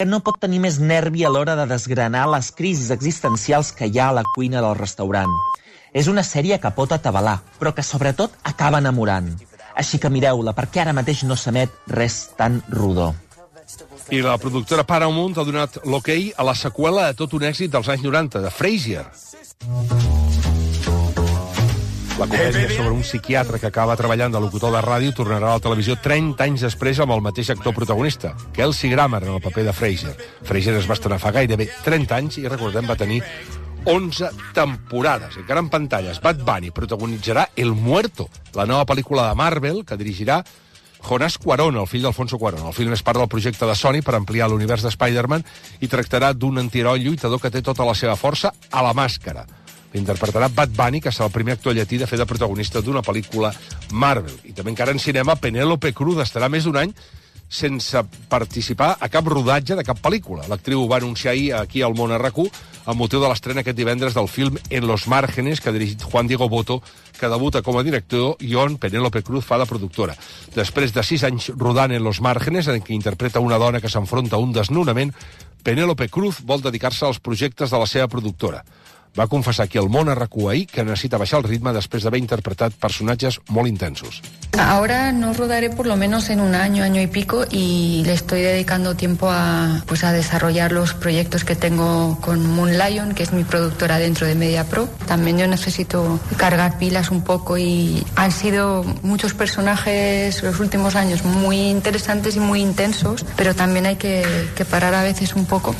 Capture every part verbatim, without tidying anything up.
que no pot tenir més nervi a l'hora de desgranar les crisis existencials que hi ha a la cuina del restaurant. És una sèrie que pot atabalar, però que sobretot acaba enamorant. Així que mireu-la, perquè ara mateix no s'emet res tan rodó. I la productora Paramount ha donat l'ok a la seqüela de tot un èxit dels anys noranta, de Frasier. La comèdia sobre un psiquiatre que acaba treballant de locutor de ràdio tornarà a la televisió trenta anys després amb el mateix actor protagonista, Kelsey Grammer, en el paper de Frasier. Frasier es va estrenar fa gairebé trenta anys i, recordem, va tenir onze temporades, encara en pantalles. Bad Bunny protagonitzarà El Muerto, la nova pel·lícula de Marvel que dirigirà Jonás Cuarón, el fill d'Alfonso Cuarón. El film és part del projecte de Sony per ampliar l'univers de Spider-Man i tractarà d'un antiheroi lluitador que té tota la seva força a la màscara. L'interpretarà Bad Bunny, que serà el primer actor llatí de fer de protagonista d'una pel·lícula Marvel. I també encara en cinema, Penélope Cruz estarà més d'un any sense participar a cap rodatge de cap pel·lícula. L'actriu ho va anunciar ahir aquí al Món R Q amb motiu de l'estrena aquest divendres del film En los márgenes, que ha dirigit Juan Diego Botto, que debuta com a director i on Penélope Cruz fa de productora. Després de sis anys rodant En los márgenes, en què interpreta una dona que s'enfronta a un desnonament, Penélope Cruz vol dedicar-se als projectes de la seva productora. Va confessar aquí al Món R Q ahir que necesita baixar el ritme després d'haver interpretat personatges molt intensos. Ahora no rodaré por lo menos en un año, año y pico, y le estoy dedicando tiempo a, pues a desarrollar los proyectos que tengo con Moon Lion, que es mi productora dentro de MediaPro. También yo necesito cargar pilas un poco y han sido muchos personajes los últimos años muy interesantes y muy intensos, pero también hay que, que parar a veces un poco.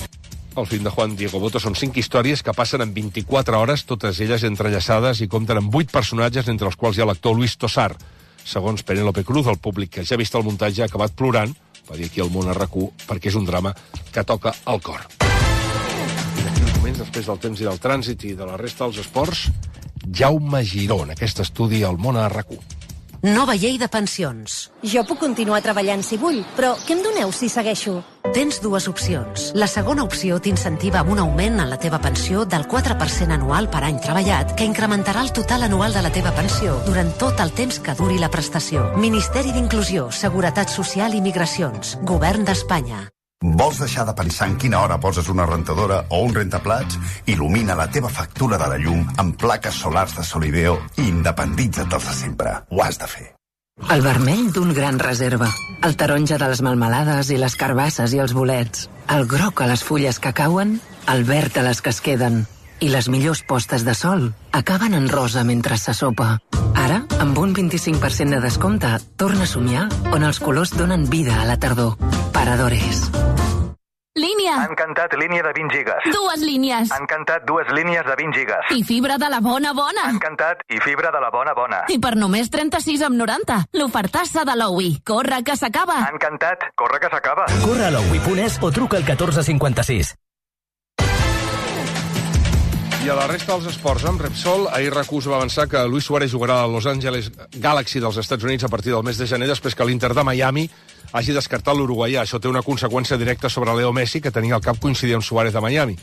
El film de Juan Diego Botto són cinc històries que passen en vint-i-quatre hores, totes elles entrellaçades i compten amb vuit personatges, entre els quals hi ha l'actor Luis Tosar. Segons Penélope Cruz, el públic que ja ha vist el muntatge ha acabat plorant, va dir aquí al Món R Q, perquè és un drama que toca el cor. I d'aquí uns moments, després del temps i del trànsit i de la resta dels esports, Jaume Giró, en aquest estudi al Món R Q. Nova llei de pensions. Jo puc continuar treballant si vull, però què em doneu si segueixo? Tens dues opcions. La segona opció t'incentiva amb un augment en la teva pensió del quatre per cent anual per any treballat, que incrementarà el total anual de la teva pensió durant tot el temps que duri la prestació. Ministeri d'Inclusió, Seguretat Social i Migracions. Govern d'Espanya. Vols deixar de pensar en quina hora poses una rentadora o un rentaplats? Il·lumina la teva factura de la llum amb plaques solars de Solideo i independitza't dels de sempre. Ho has de fer. El vermell d'un gran reserva, el taronja de les melmelades i les carbasses i els bolets, el groc a les fulles que cauen, el verd a les que es queden. I les millors postes de sol acaben en rosa mentre se sopa. Ara, amb un vint-i-cinc per cent de descompte, torna a somiar on els colors donen vida a la tardor. Paradores. Línia. Han cantat línia de vint gigas. Dues línies. Han cantat dues línies de vint gigas. I fibra de la bona bona. Han cantat i fibra de la bona bona. I per només trenta-sis amb noranta. L'ofertassa de l'Oui. Corre, que s'acaba. Han cantat Corre, que s'acaba. Corre a l'Oui punt es o truca al catorze cinquanta-sis. I a la resta dels esports, amb Repsol, ahir R Q va avançar que Luis Suárez jugarà a Los Angeles Galaxy dels Estats Units a partir del mes de gener, després que l'Inter de Miami hagi descartat l'uruguaià. Això té una conseqüència directa sobre Leo Messi, que tenia al cap coincidir amb Suárez de Miami.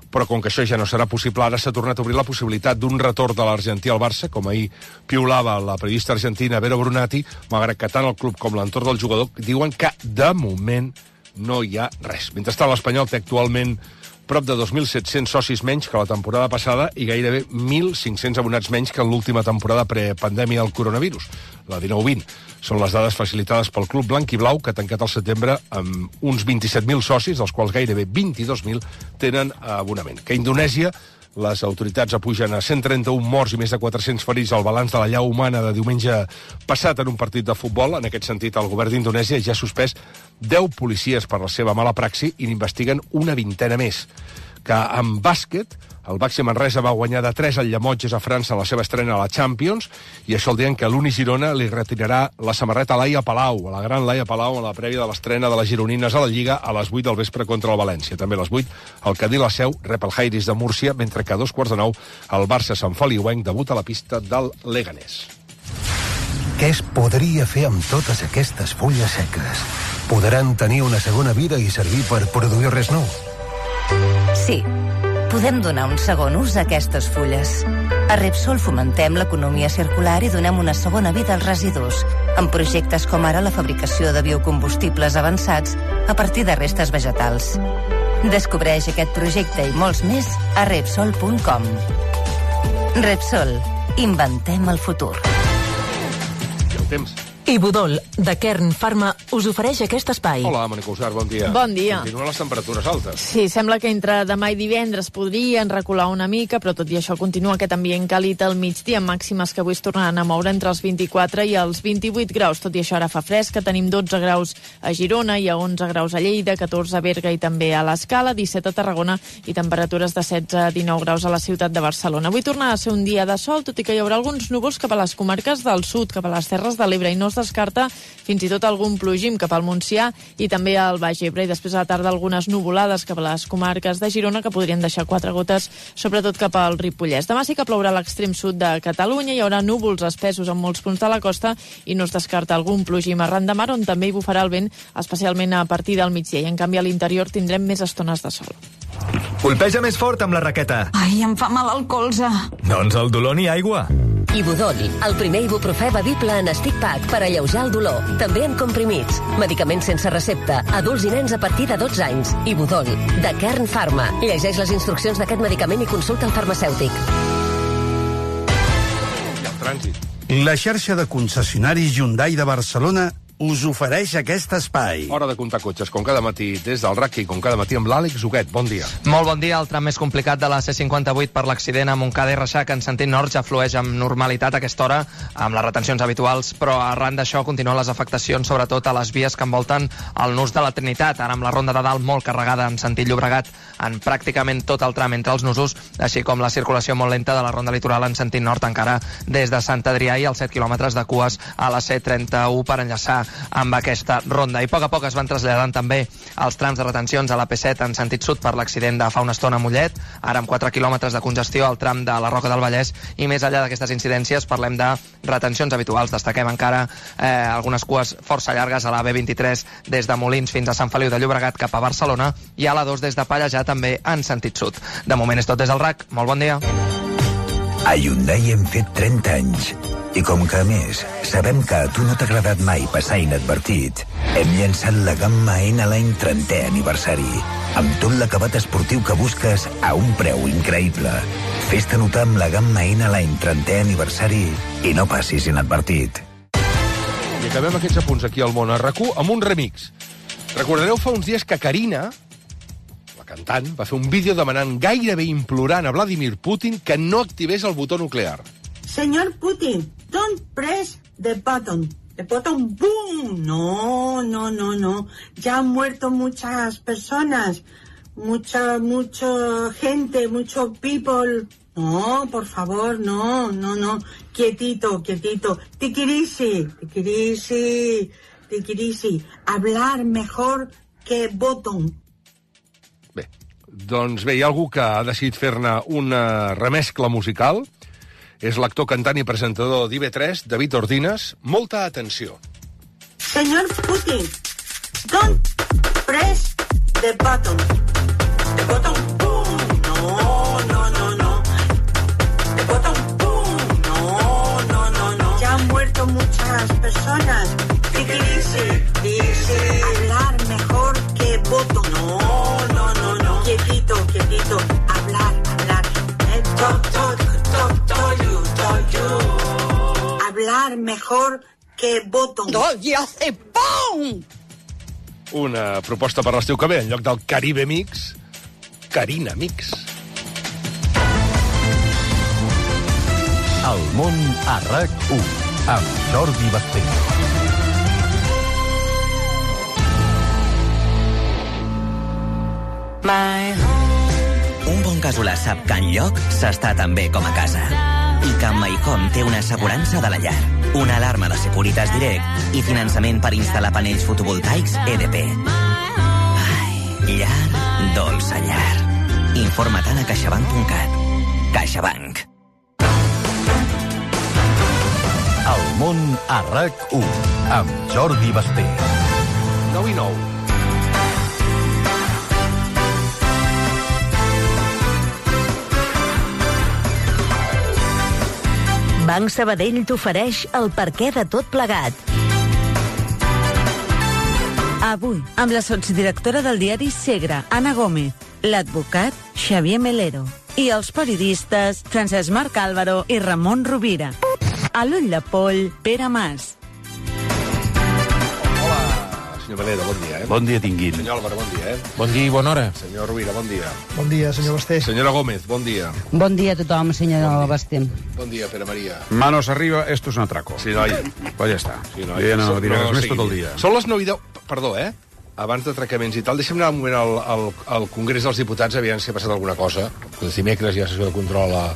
Però com que això ja no serà possible, ara s'ha tornat a obrir la possibilitat d'un retorn de l'argentí al Barça, com ahir piulava la periodista argentina Vero Brunati, malgrat que tant el club com l'entorn del jugador diuen que, de moment, no hi ha res. Mentrestant, l'Espanyol té actualment prop de dos mil set-cents socis menys que la temporada passada i gairebé mil cinc-cents abonats menys que en l'última temporada prepandèmia del coronavirus, la dinou vint. Són les dades facilitades pel club blanc i blau, que ha tancat el setembre amb uns vint-i-set mil socis, dels quals gairebé vint-i-dos mil tenen abonament. Que a Indonèsia les autoritats apugen a cent trenta-un morts i més de quatre-cents ferits al balanç de la llau humana de diumenge passat en un partit de futbol. En aquest sentit, el govern d'Indonèsia ja ha suspès deu policies per la seva mala praxi i n'investiguen una vintena més. Que en bàsquet, el Baxi Manresa va guanyar de tres al Llemotges a França en la seva estrena a la Champions, i això el dia en què l'Uni Girona li retirarà la samarreta a Laia Palau, a la gran Laia Palau, en la prèvia de l'estrena de les gironines a la Lliga a les vuit del vespre contra el València. També a les vuit, el Cadí la Seu rep el Jairis de Múrcia, mentre que a dos quarts de nou el Barça Sant Feliuenc debuta a la pista del Leganés. Què es podria fer amb totes aquestes fulles seques? Podran tenir una segona vida i servir per produir res nou? Sí. podem donar un segon ús a aquestes fulles. A Repsol fomentem l'economia circular i donem una segona vida als residus, amb projectes com ara la fabricació de biocombustibles avançats a partir de restes vegetals. Descobreix aquest projecte i molts més a Repsol punt com. Repsol. Inventem el futur. I el temps. Ibudol, de Kern Pharma, us ofereix aquest espai. Hola, Mònica Usar, bon dia. Bon dia. Continuen les temperatures altes. Sí, sembla que entre demà i divendres podrien recular una mica, però tot i això continua aquest ambient càlid al migdia, amb màximes que avui es tornaran a moure entre els vint-i-quatre i els vint-i-vuit graus. Tot i això ara fa fresca, tenim dotze graus a Girona i a onze graus a Lleida, catorze a Berga i també a l'Escala, disset a Tarragona i temperatures de setze a dinou graus a la ciutat de Barcelona. Avui torna a ser un dia de sol, tot i que hi haurà alguns núvols cap a les comarques del sud, cap a les Terres de l'Ebre, i no es descarta fins i tot algun plogim cap al Montsià i també al Baix Ebre, i després a la tarda algunes nuvolades cap a les comarques de Girona que podrien deixar quatre gotes, sobretot cap al Ripollès. Demà sí que plourà a l'extrem sud de Catalunya, hi haurà núvols espessos en molts punts de la costa i no es descarta algun plogim arran de mar, on també hi bufarà el vent, especialment a partir del migdia, i en canvi a l'interior tindrem més estones de sol. Colpeja més fort amb la raqueta. Ai, em fa mal el colze. Doncs el dolor ni aigua. Ibudol, el primer ibuprofè bevible en stick pack per alleujar el dolor. També en comprimits. Medicaments sense recepta. Adults i nens a partir de dotze anys. Ibudol, de Kern Pharma. Llegeix les instruccions d'aquest medicament i consulta el farmacèutic. I el trànsit. La xarxa de concessionaris Hyundai de Barcelona us ofereix aquest espai. Hora de comptar cotxes, com cada matí des del R A C I, com cada matí amb l'Àlex Huguet. Bon dia. Molt bon dia. El tram més complicat de la C cinquanta-vuit per l'accident a Montcada i Reixac en sentit nord ja flueix amb normalitat a aquesta hora, amb les retencions habituals, però arran d'això continuen les afectacions, sobretot a les vies que envolten el nus de la Trinitat, ara amb la ronda de dalt molt carregada en sentit Llobregat en pràcticament tot el tram entre els nusos, així com la circulació molt lenta de la ronda litoral en sentit nord encara des de Sant Adrià i els set quilòmetres de cues a la C trenta-u per enllaçar amb aquesta ronda. I a poc a poc es van traslladant també els trams de retencions a la P set en sentit sud per l'accident de fa una estona a Mollet, ara amb quatre quilòmetres de congestió al tram de la Roca del Vallès, i més enllà d'aquestes incidències parlem de retencions habituals. Destaquem encara eh, algunes cues força llargues a la B vint-i-tres des de Molins fins a Sant Feliu de Llobregat cap a Barcelona i a la dos des de Pallejà també en sentit sud. De moment és tot des del R A C. Molt bon dia. A Hyundai hem fet trenta anys. I com que, a més, sabem que a tu no t'ha agradat mai passar inadvertit, hem llançat la gamma N l'any trentè aniversari, amb tot l'acabat esportiu que busques a un preu increïble. Fes-te notar amb la gamma N l'any trentè aniversari i no passis inadvertit. I acabem aquests apunts aquí al món a R A C U amb un remix. Recordareu fa uns dies que Karina, la cantant, va fer un vídeo demanant, gairebé implorant a Vladimir Putin que no activés el botó nuclear. Señor Putin, don't press the button. The button, boom. No, no, no, no. Ya han muerto muchas personas. Mucha, mucha gente, mucho people. No, por favor, no, no, no. Quietito, quietito. Tikirisi, tikirisi, tikirisi. Hablar mejor que botón. Bé, doncs bé, hi ha algú que ha decidit fer-ne una remescla musical. És l'actor, cantant i presentador d'I V tres, David Ordines. Molta atenció. Señor Putin, don't press the button. The button, boom. No, no, no, no. The button, boom. No, no, no, no. Ya han muerto muchas personas. Tikirisi, dice. Hablar mejor que botón. No, no, no, no. Quietito, quietito. Hablar, hablar. Eh, talk, talk, talk, talk. Hablar mejor que botón. ¡Y hace ¡pum! Una proposta per l'estiu que ve, en lloc del Caribe Mix, Carina Mix. El món a R A C u, amb Jordi Basté. Un bon casolà sap que enlloc s'està tan bé com a casa. I que amb MyHome té una assegurança de la llar, una alarma de Securitas Direct i finançament per instal·lar panells fotovoltaics E D P. Ai, llar, dolça llar. Informa-te'n a caixabank punt cat. CaixaBank. El món a R A C u, amb Jordi Basté. nou i nou. Banc Sabadell t'ofereix el perquè de tot plegat. Avui, amb la sotsdirectora del diari Segre, Anna Gómez, l'advocat Xavier Melero i els periodistes Francesc Marc Álvaro i Ramon Rovira. A l'ull de poll, Pere Mas. Senyor Melero, bon dia, eh? Bon dia, tinguin. Senyor Álvaro, bon dia, eh? Bon dia i bona hora. Senyor Rovira, bon dia. Bon dia, senyor Basté. Senyora Gómez, bon dia. Bon dia a tothom, senyor Basté. Bon dia, Pere María. Manos arriba, esto es un atraco. Sí, noi. Pues ja està. Sí, noi. Jo ja no So- diré no res més seguim. tot el dia. Són les nou i deu... Perdó, eh? Abans d'atracaments i tal, deixem anar un moment al, al, al Congrés dels Diputats, aviam si ha passat alguna cosa. El dimecres hi ha sessió de control a,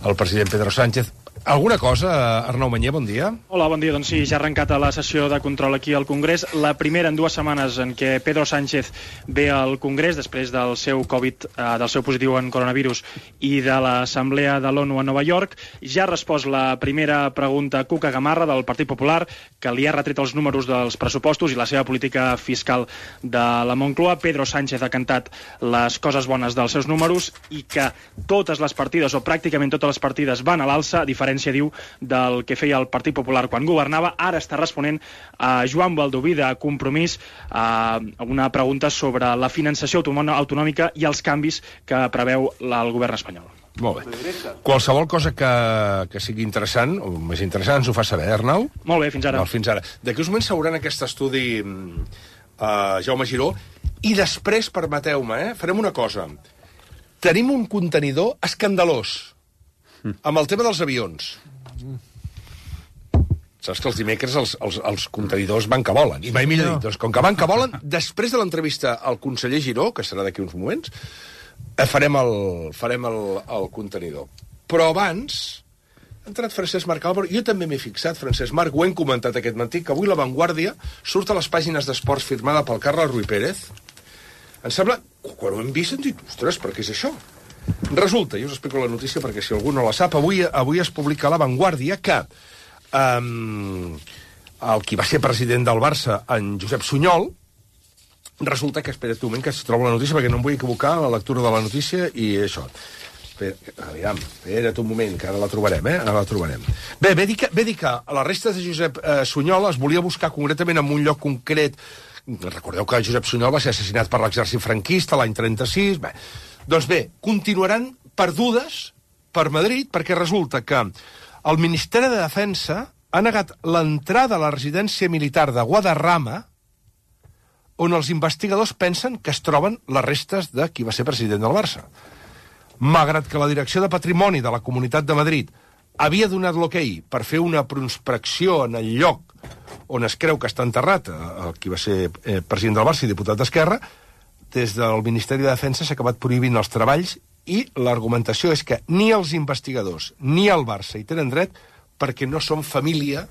al president Pedro Sánchez. Alguna cosa, Arnau Mañé, bon dia. Hola, bon dia. Doncs sí, ja ha arrencat la sessió de control aquí al Congrés. La primera en dues setmanes en què Pedro Sánchez ve al Congrés després del seu Covid, eh, del seu positiu en coronavirus i de l'Assemblea de l'ONU a Nova York. Ja ha respost la primera pregunta Cuca Gamarra del Partit Popular, que li ha retret els números dels pressupostos i la seva política fiscal de la Moncloa. Pedro Sánchez ha cantat les coses bones dels seus números i que totes les partides, o pràcticament totes les partides, van a l'alça, a diferència, diu, del que feia el Partit Popular quan governava. Ara està responent a Joan Baldoví de Compromís a una pregunta sobre la finançació autonòmica i els canvis que preveu el govern espanyol. Molt bé. Qualsevol cosa que, que sigui interessant, o més interessant, ens ho fa saber, eh, Arnau? Molt bé, fins ara. No, fins ara. D'aquí uns moments s'hauran aquest estudi uh, Jaume Giró, i després, permeteu-me, eh, farem una cosa. Tenim un contenidor escandalós amb el tema dels avions. Saps que els dimecres els, els, els contenidors van que volen. I mai millor dit, doncs, com que van que volen, després de l'entrevista al conseller Giró, que serà d'aquí uns moments, farem el, farem el, el contenidor. Però abans ha entrat Francesc Marc Álvaro. Jo també m'he fixat, Francesc Marc, ho hem comentat aquest matí, que avui La Vanguardia surt a les pàgines d'esports firmada pel Carles Ruiz Pérez. Em sembla, quan ho hem vist, hem dit, ostres, per què és això? Resulta, jo us explico la notícia perquè si algú no la sap, avui, avui es publica a La Vanguardia que um, el qui va ser president del Barça, en Josep Sunyol, resulta que, espera't un moment que es troba la notícia perquè no em vull equivocar en la lectura de la notícia i això. Aviam, espera't un moment, que ara la trobarem, eh? Ara la trobarem. Bé, ve dir que, ve dir que a la resta de Josep eh, Sunyol es volia buscar concretament en un lloc concret. Recordeu que Josep Sunyol va ser assassinat per l'exèrcit franquista l'any trenta-sis. Bé, doncs bé, continuaran perdudes per Madrid perquè resulta que el Ministeri de Defensa ha negat l'entrada a la residència militar de Guadarrama on els investigadors pensen que es troben les restes de qui va ser president del Barça. Malgrat que la Direcció de Patrimoni de la Comunitat de Madrid havia donat l'ok per fer una prospecció en el lloc on es creu que està enterrat el qui va ser eh, president del Barça i diputat d'Esquerra, des del Ministeri de Defensa s'ha acabat prohibint els treballs i l'argumentació és que ni els investigadors ni el Barça hi tenen dret perquè no són família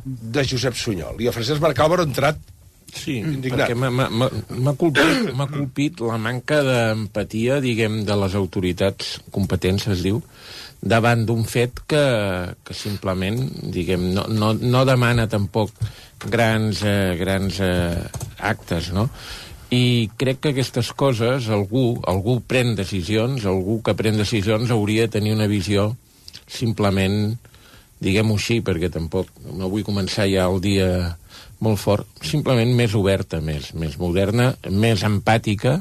de Josep Sunyol. I el Francesc Marc Álvaro ha entrat sí, indignat. perquè m'ha colpit, m'ha colpit la manca d'empatia, diguem, de les autoritats competents, es diu, davant d'un fet que, que simplement, diguem, no, no, no demana tampoc grans, eh, grans eh, actes, no? I crec que aquestes coses, algú, algú pren decisions, algú que pren decisions hauria de tenir una visió simplement, diguem-ho així, perquè tampoc no vull començar ja el dia molt fort, simplement més oberta, més, més moderna, més empàtica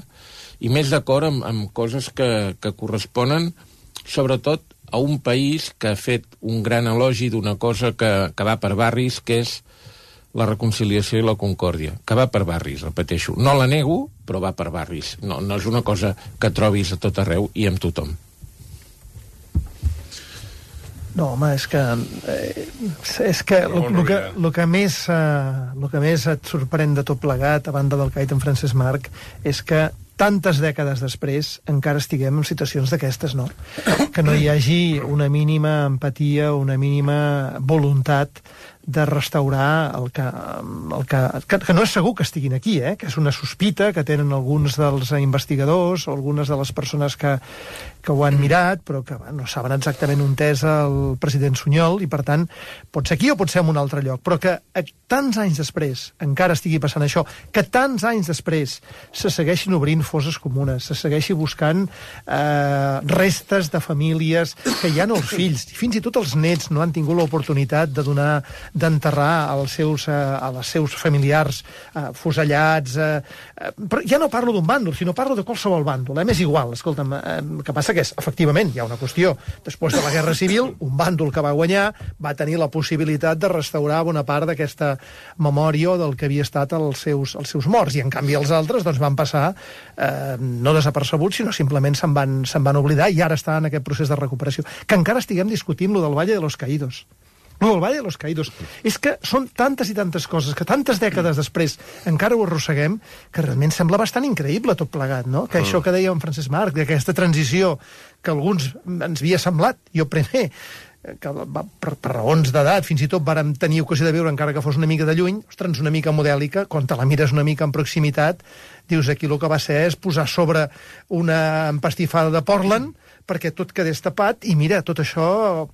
i més d'acord amb, amb coses que, que corresponen sobretot a un país que ha fet un gran elogi d'una cosa que, que va per barris, que és la reconciliació i la concòrdia, que va per barris, repeteixo. No la nego, però va per barris. No, no és una cosa que trobis a tot arreu i amb tothom. No, home, és que eh, és que el, el, que, el, que més, eh, el que més et sorprèn de tot plegat, a banda del que ha dit en Francesc Marc, és que tantes dècades després encara estiguem en situacions d'aquestes, no? Que no hi hagi una mínima empatia, una mínima voluntat de restaurar el que, el que, que, que no és segur que estiguin aquí, eh? Que és una sospita que tenen alguns dels investigadors o algunes de les persones que, que ho han mirat, però que bueno, no saben exactament on és el president Sunyol, i per tant pot ser aquí o pot ser en un altre lloc, però que tants anys després encara estigui passant això, que tants anys després se segueixin obrint fosses comunes, se segueixi buscant eh, restes de famílies que ja no els fills, fins i tot els nets no han tingut l'oportunitat de donar d'enterrar als seus, uh, als seus familiars uh, fusellats. Uh, uh, però ja no parlo d'un bàndol, sinó parlo de qualsevol bàndol. Eh? M'és igual, escolta'm, el uh, que passa que és, efectivament, hi ha una qüestió. Després de la Guerra Civil, un bàndol que va guanyar va tenir la possibilitat de restaurar bona part d'aquesta memòria del que havia estat els seus, els seus morts, i en canvi els altres doncs, van passar uh, no desapercebuts, sinó simplement se'n van, se'n van oblidar, i ara està en aquest procés de recuperació. Que encara estiguem discutint lo del Valle de los Caídos. No, el Valle de los Caídos. És que són tantes i tantes coses que tantes dècades després encara ho arrosseguem, que realment sembla bastant increïble tot plegat, no? Que això que deia en Francesc Marc, d'aquesta transició que alguns ens havia semblat, jo primer, que per, per raons d'edat fins i tot vàrem tenir ocasió de veure, encara que fos una mica de lluny, ostres, una mica modèlica, quan te la mires una mica en proximitat, dius, aquí el que va ser és posar sobre una empastifada de Portland perquè tot quedés tapat, i mira, tot això...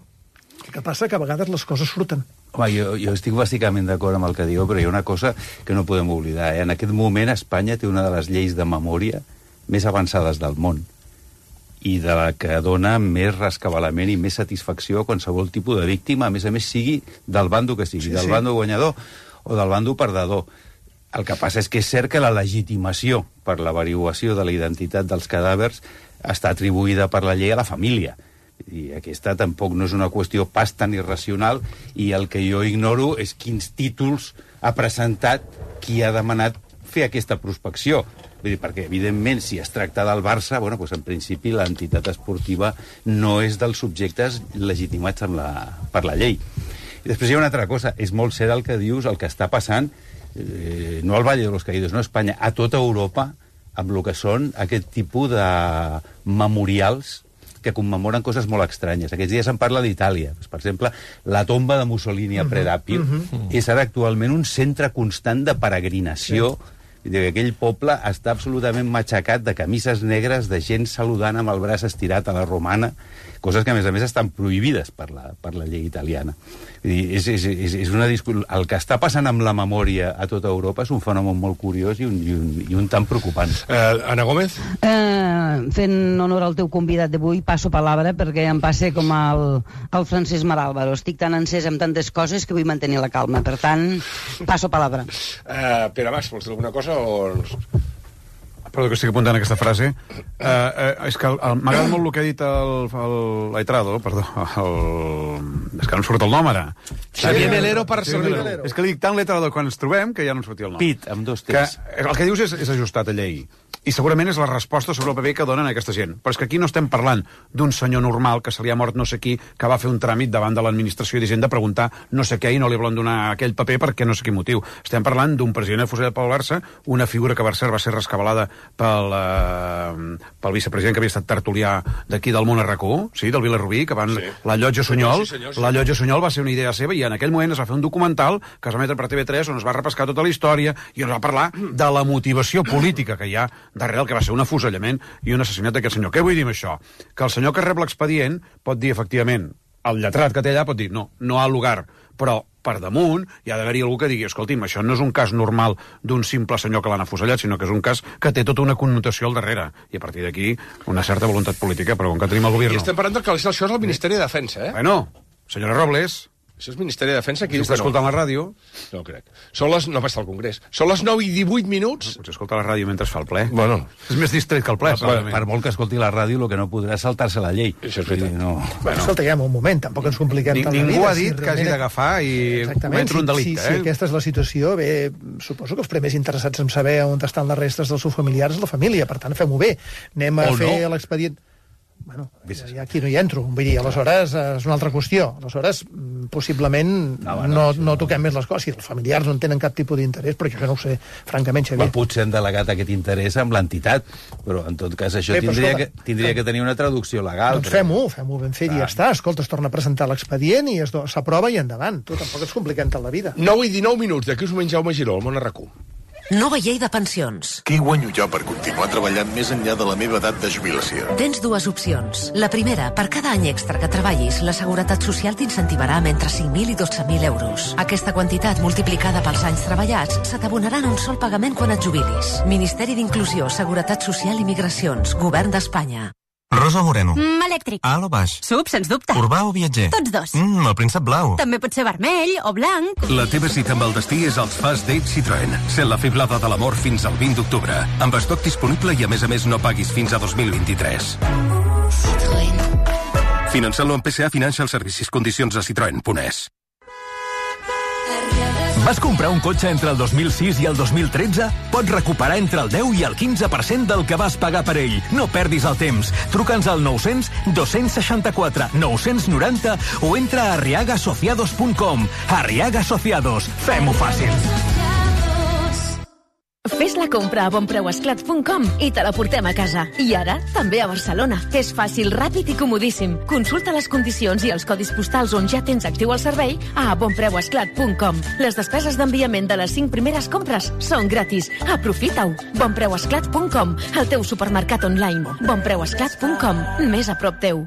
El que passa que a vegades les coses surten. Home, jo, jo estic bàsicament d'acord amb el que diu, però hi ha una cosa que no podem oblidar. Eh? En aquest moment Espanya té una de les lleis de memòria més avançades del món, i de la que dona més rescabalament i més satisfacció a qualsevol tipus de víctima, a més a més sigui del bando que sigui, sí, del sí. bando guanyador o del bando perdedor. El que passa és que és cert que la legitimació per l'averiguació de la identitat dels cadàvers està atribuïda per la llei a la família. I aquesta tampoc no és una qüestió pas tan irracional, i el que jo ignoro és quins títols ha presentat qui ha demanat fer aquesta prospecció. Vull dir, perquè, evidentment, si es tracta del Barça, bueno, doncs, en principi, l'entitat esportiva no és dels subjectes legitimats amb la, per la llei. I després hi ha una altra cosa. És molt cert el que dius, el que està passant, eh, no al Valle de los Caídos, no a Espanya, a tota Europa, amb el que són aquest tipus de memorials que commemoren coses molt estranyes. Aquests dies se'n parla d'Itàlia. Per exemple, la tomba de Mussolini a Predàpio uh -huh. és ara actualment un centre constant de peregrinació. Sí. Aquell poble està absolutament matxacat de camises negres, de gent saludant amb el braç estirat a la romana, coses que, a més a més, estan prohibides per la, per la llei italiana. Vull dir, és, és, és, és una discu... El que està passant amb la memòria a tota Europa és un fenomen molt curiós i un, i un, i un tan preocupant. Uh, Ana Gómez? Uh, fent honor al teu convidat d'avui, passo palabra perquè em passa com el, el Francesc Marálvaro. Estic tan encès amb tantes coses que vull mantenir la calma. Per tant, passo palabra. Uh, Pere Mas, vols dir alguna cosa o... Perdó, que estic apuntant aquesta frase. Uh, uh, és que m'agrada molt el que ha dit el, el Laitrado, perdó, el... és que no em surt el nom ara. Xavier Melero per servir. És que li dic tant Laitrado quan ens trobem que ja no em sortia el nom. Pit, amb dos T's. Que el que dius és, és ajustat a llei. I segurament és la resposta sobre el paper que donen a aquesta gent. Però és que aquí no estem parlant d'un senyor normal que se li ha mort no sé qui, que va fer un tràmit davant de l'administració i de preguntar no sé què i no li volen donar aquell paper perquè no sé quin motiu. Estem parlant d'un president afusellat pel Barça, una figura que per cert va ser rescabalada pel, eh, pel vicepresident que havia estat tertulià d'aquí del món a R A C u, sí, del Vilarrubí, que van... Sí. La Llotja Sunyol. Sí, senyor, sí. La Llotja Sunyol va ser una idea seva i en aquell moment es va fer un documental que es va emetre per T V tres on es va repescar tota la història i es va parlar de la motivació política que hi ha darrere el que va ser un afusellament i un assassinat d'aquest senyor. Què vull dir amb això? Que el senyor que rep l'expedient pot dir, efectivament, el lletrat que té allà pot dir, no, no ha lugar, però per damunt hi ha d'haver-hi algú que digui, escolti'm, això no és un cas normal d'un simple senyor que l'han afusellat, sinó que és un cas que té tota una connotació al darrere. I a partir d'aquí, una certa voluntat política, però com que tenim el govern... I estem parlant que això és el Ministeri de Defensa, eh? Bueno, senyora Robles... Això és Ministeri de Defensa. Si està escoltant la ràdio... No crec. Són les... No va estar al Congrés. Són les nou i divuit minuts... Potser escolta la ràdio mentre es fa el ple. Bueno. És més distret que el ple. Per, per molt que escolti la ràdio, el que no podrà és saltar-se la llei. Això és veritat. No. Bueno, escolta, ja, un moment, tampoc ens compliquem Ni, tant la vida. Ningú ha dit si que hagi d'agafar i cometre un delicte. Si, eh? si aquesta és la situació, bé, suposo que els primers interessats en saber on estan les restes dels seus familiars és la família. Per tant, fem-ho bé. Anem a o fer no. l'expedient... bueno, ja aquí no hi entro. Vull dir, aleshores és una altra qüestió. Aleshores, possiblement no, no, no, no toquem més les coses. Si els familiars no en tenen cap tipus d'interès, però jo no ho sé, francament, Xavier. Well, potser han delegat aquest interès amb l'entitat, però en tot cas això Bé, tindria, escolta, que, tindria que tenir una traducció legal. Doncs però... fem-ho, fem-ho ben fet i ja està. Escolta, es torna a presentar l'expedient i s'aprova i endavant. Tu tampoc ens compliquem tant la vida. nou i dinou minuts, d'aquí us menys Jaume Giró, al Món Arracú. Nova llei de pensions. Què guanyo jo per continuar treballant més enllà de la meva edat de jubilació? Tens dues opcions. La primera, per cada any extra que treballis, la Seguretat Social t'incentivarà amb entre cinc mil i dotze mil euros. Aquesta quantitat, multiplicada pels anys treballats, se t'abonarà en un sol pagament quan et jubilis. Ministeri d'Inclusió, Seguretat Social i Migracions, Govern d'Espanya. Rosa o moreno? Mm, elèctric. Alt o baix? Sub, sens dubte. Urbà o viatger? Tots dos. Mm, el príncep blau. També pot ser vermell o blanc. La teva cita amb el destí és als Fast Dates Citroën. Sent la fiblada de l'amor fins al vint d'octubre. Amb estoc disponible i a més a més no paguis fins a dos mil vint-i-tres. Citroën. Finançant-lo amb P S A Financial Services. Condicions a citroen punt es. Vas comprar un cotxe entre el dos mil sis i el dos mil tretze? Pots recuperar entre el deu i el quinze per cent del que vas pagar per ell. No perdis el temps. Truca'ns al nou-cents dos-cents seixanta-quatre nou-cents noranta o entra a arriaga asociados punt com. Arriaga Asociados. Fem-ho fàcil. Fes la compra a bonpreuesclat punt com i te la portem a casa. I ara, també a Barcelona. És fàcil, ràpid i comodíssim. Consulta les condicions i els codis postals on ja tens actiu el servei a bonpreuesclat punt com. Les despeses d'enviament de les cinc primeres compres són gratis. Aprofita-ho. bonpreuesclat punt com, el teu supermercat online. bonpreuesclat punt com, més a prop teu.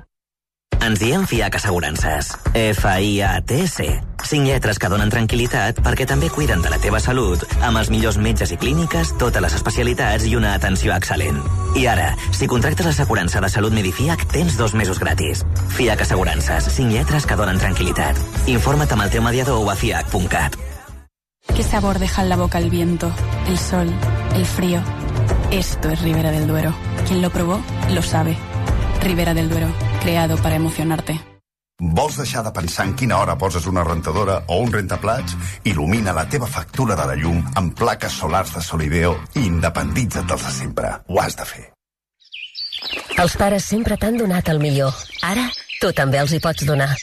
Ens diem FIAC Assegurances. F I A T S. Cinc lletres que donen tranquil·litat perquè també cuiden de la teva salut amb els millors metges i clíniques, totes les especialitats i una atenció excel·lent. I ara, si contractes l'assegurança de salut Medifiac, tens dos mesos gratis. FIAC Assegurances. Cinc lletres que donen tranquil·litat. Informa't amb el teu mediador o a fiac punt cat. ¿Qué sabor deja en la boca el viento, el sol, el frío? Esto es Ribera del Duero. Quien lo probó, lo sabe. Ribera del Duero, creado para emocionarte. Vols deixar de pensar en quina hora poses una rentadora o un rentaplats? Il·lumina la teva factura de la llum amb plaques solars de Solideo i independitza't dels de sempre. Ho has de fer. Els pares sempre t'han donat el millor. Ara, tu també els hi pots donar.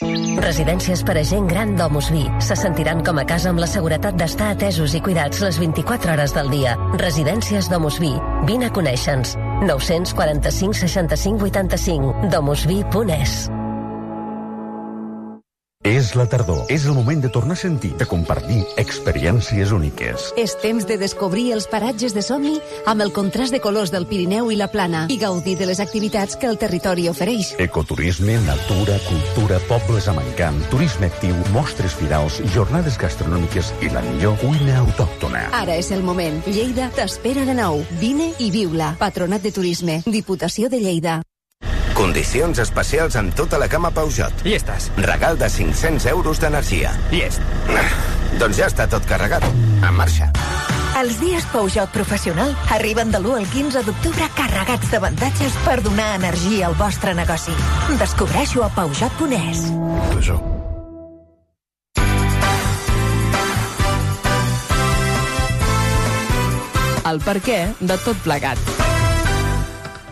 Residències per a gent gran d'Omus Vi. Se sentiran com a casa amb la seguretat d'estar atesos i cuidats les vint-i-quatre hores del dia. Residències d'Omus Vi. Vine a conèixer-nos. nou-cents quaranta-cinc seixanta-cinc vuitanta-cinc. domusvi punt es. És la tardor. És el moment de tornar a sentir, de compartir experiències úniques. És temps de descobrir els paratges de somni amb el contrast de colors del Pirineu i la Plana i gaudir de les activitats que el territori ofereix. Ecoturisme, natura, cultura, pobles amb encant, turisme actiu, mostres firals, jornades gastronòmiques i la millor cuina autòctona. Ara és el moment. Lleida t'espera de nou. Vine i viu-la. Patronat de Turisme. Diputació de Lleida. Condicions especials en tota la gamma Peugeot. I estàs. Regal de cinc-cents euros d'energia. Llest. Doncs ja està tot carregat. En marxa. Els dies Peugeot Professional arriben de l'u al quinze d'octubre carregats d'avantatges per donar energia al vostre negoci. Descobreixo a Peugeot punt es. Peugeot. El perquè de tot plegat.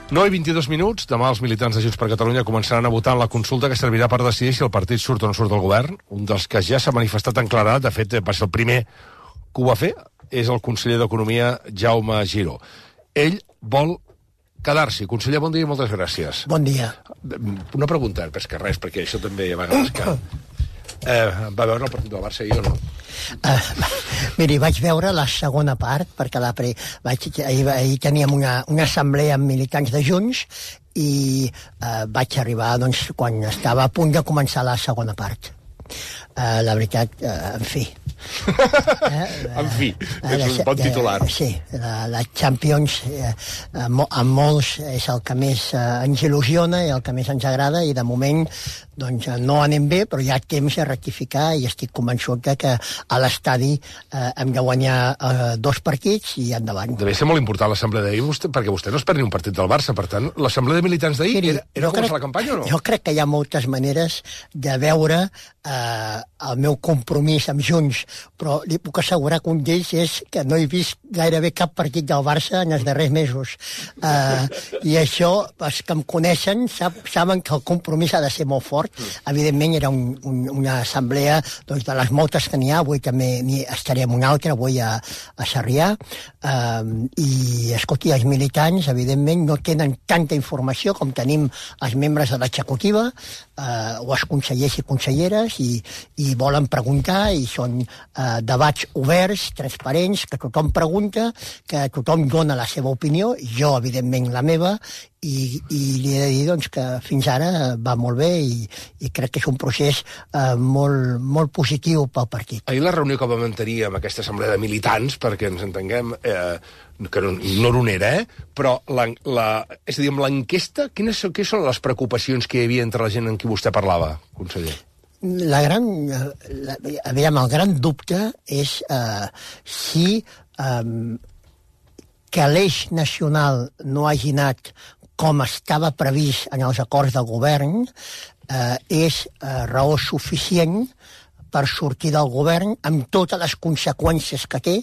nou i vint-i-dos minuts. Demà els militants de Junts per Catalunya començaran a votar en la consulta que servirà per decidir si el partit surt o no surt del govern. Un dels que ja s'ha manifestat en claredat, de fet va ser el primer que ho va fer, és el conseller d'Economia, Jaume Giró. Ell vol quedar-s'hi. Conseller, bon dia i moltes gràcies. Bon dia. Una pregunta, més que res, perquè això també a vegades que... Eh, va veure el partit del Barça ahir o no? Uh, miri, vaig veure la segona part, perquè la pre... vaig, ahir, ahir teníem una, una assemblea amb militants de Junts i uh, vaig arribar doncs, quan estava a punt de començar la segona part. Uh, la veritat, uh, en fi... Eh, en fi, uh, és un bon titular. Uh, sí, la, la Champions uh, a molts és el que més uh, ens il·lusiona i el que més ens agrada, i de moment doncs no anem bé, però hi ha temps de rectificar i estic convençut que a l'estadi eh, hem de guanyar eh, dos partits i endavant. Deve ser molt important l'assemblea d'ahir, vostè, perquè vostè no es perd ni un partit del Barça, per tant, l'assemblea de militants d'ahir era, era començar la campanya o no? Jo crec que hi ha moltes maneres de veure eh, el meu compromís amb Junts però li puc assegurar que un d'ells és que no he vist gairebé cap partit del Barça en els darrers mesos. Uh, I això, els que em coneixen sap, saben que el compromís ha de ser molt fort. Evidentment era un, un, una assemblea doncs, de les moltes que n'hi ha. Avui també n'hi estaré en una altra, avui a, a Sarrià. Uh, I, escolti, els militants, evidentment, no tenen tanta informació com tenim els membres de l'executiva eh, o els consellers i conselleres i, i volen preguntar i són eh, debats oberts, transparents, que tothom pregunta, que tothom dona la seva opinió, jo, evidentment, la meva, i, i li he de dir doncs, que fins ara va molt bé i, i crec que és un procés eh, molt, molt positiu pel partit. Ahir la reunió que vam mantenir amb aquesta assemblea de militants, perquè ens entenguem, eh, que no, ignoro on era, eh? Però la, la, és a dir, amb l'enquesta, quines, quines són les preocupacions que hi havia entre la gent amb qui vostè parlava, conseller? La gran, la, aviam, el gran dubte és eh, si eh, que l'eix nacional no hagi anat com estava previst en els acords del govern eh, és eh, raó suficient per sortir del govern amb totes les conseqüències que té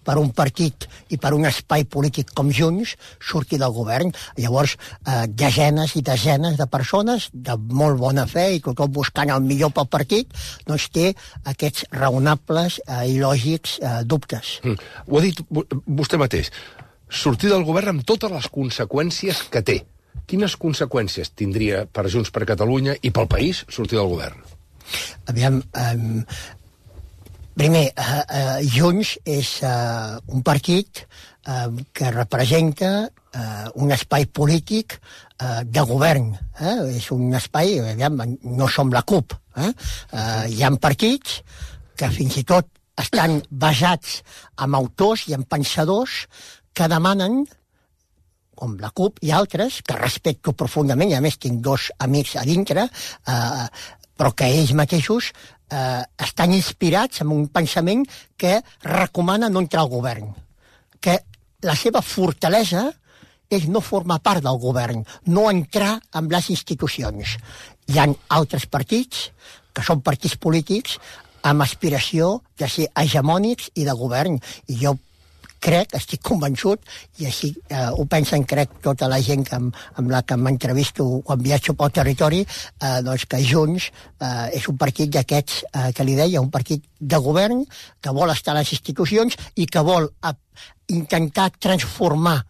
per un partit i per un espai polític com Junts sortir del govern. Llavors, eh, desenes i desenes de persones de molt bona fe i tothom buscant el millor pel partit, doncs té aquests raonables eh, i lògics eh, dubtes. Mm. Ho ha dit vostè mateix. Sortir del govern amb totes les conseqüències que té. Quines conseqüències tindria per Junts per Catalunya i pel país sortir del govern? Aviam, um, primer, uh, uh, Junts és uh, un partit uh, que representa uh, un espai polític uh, de govern. Eh? És un espai, aviam, no som la CUP. Eh? Uh, hi ha partits que fins i tot estan basats en autors i en pensadors que demanen, com la CUP i altres, que respecto profundament, i a més tinc dos amics a dintre, eh, però que ells mateixos eh, estan inspirats en un pensament que recomana no entrar al govern. Que la seva fortalesa és no formar part del govern, no entrar en les institucions. Hi ha altres partits, que són partits polítics, amb aspiració de ser hegemònics i de govern. I jo crec, estic convençut, i així eh, ho pensen, crec, tota la gent que, amb la que m'entrevisto quan viatjo pel territori, eh, doncs que Junts eh, és un partit d'aquests, eh, que li deia, un partit de govern, que vol estar a les institucions i que vol a, intentar transformar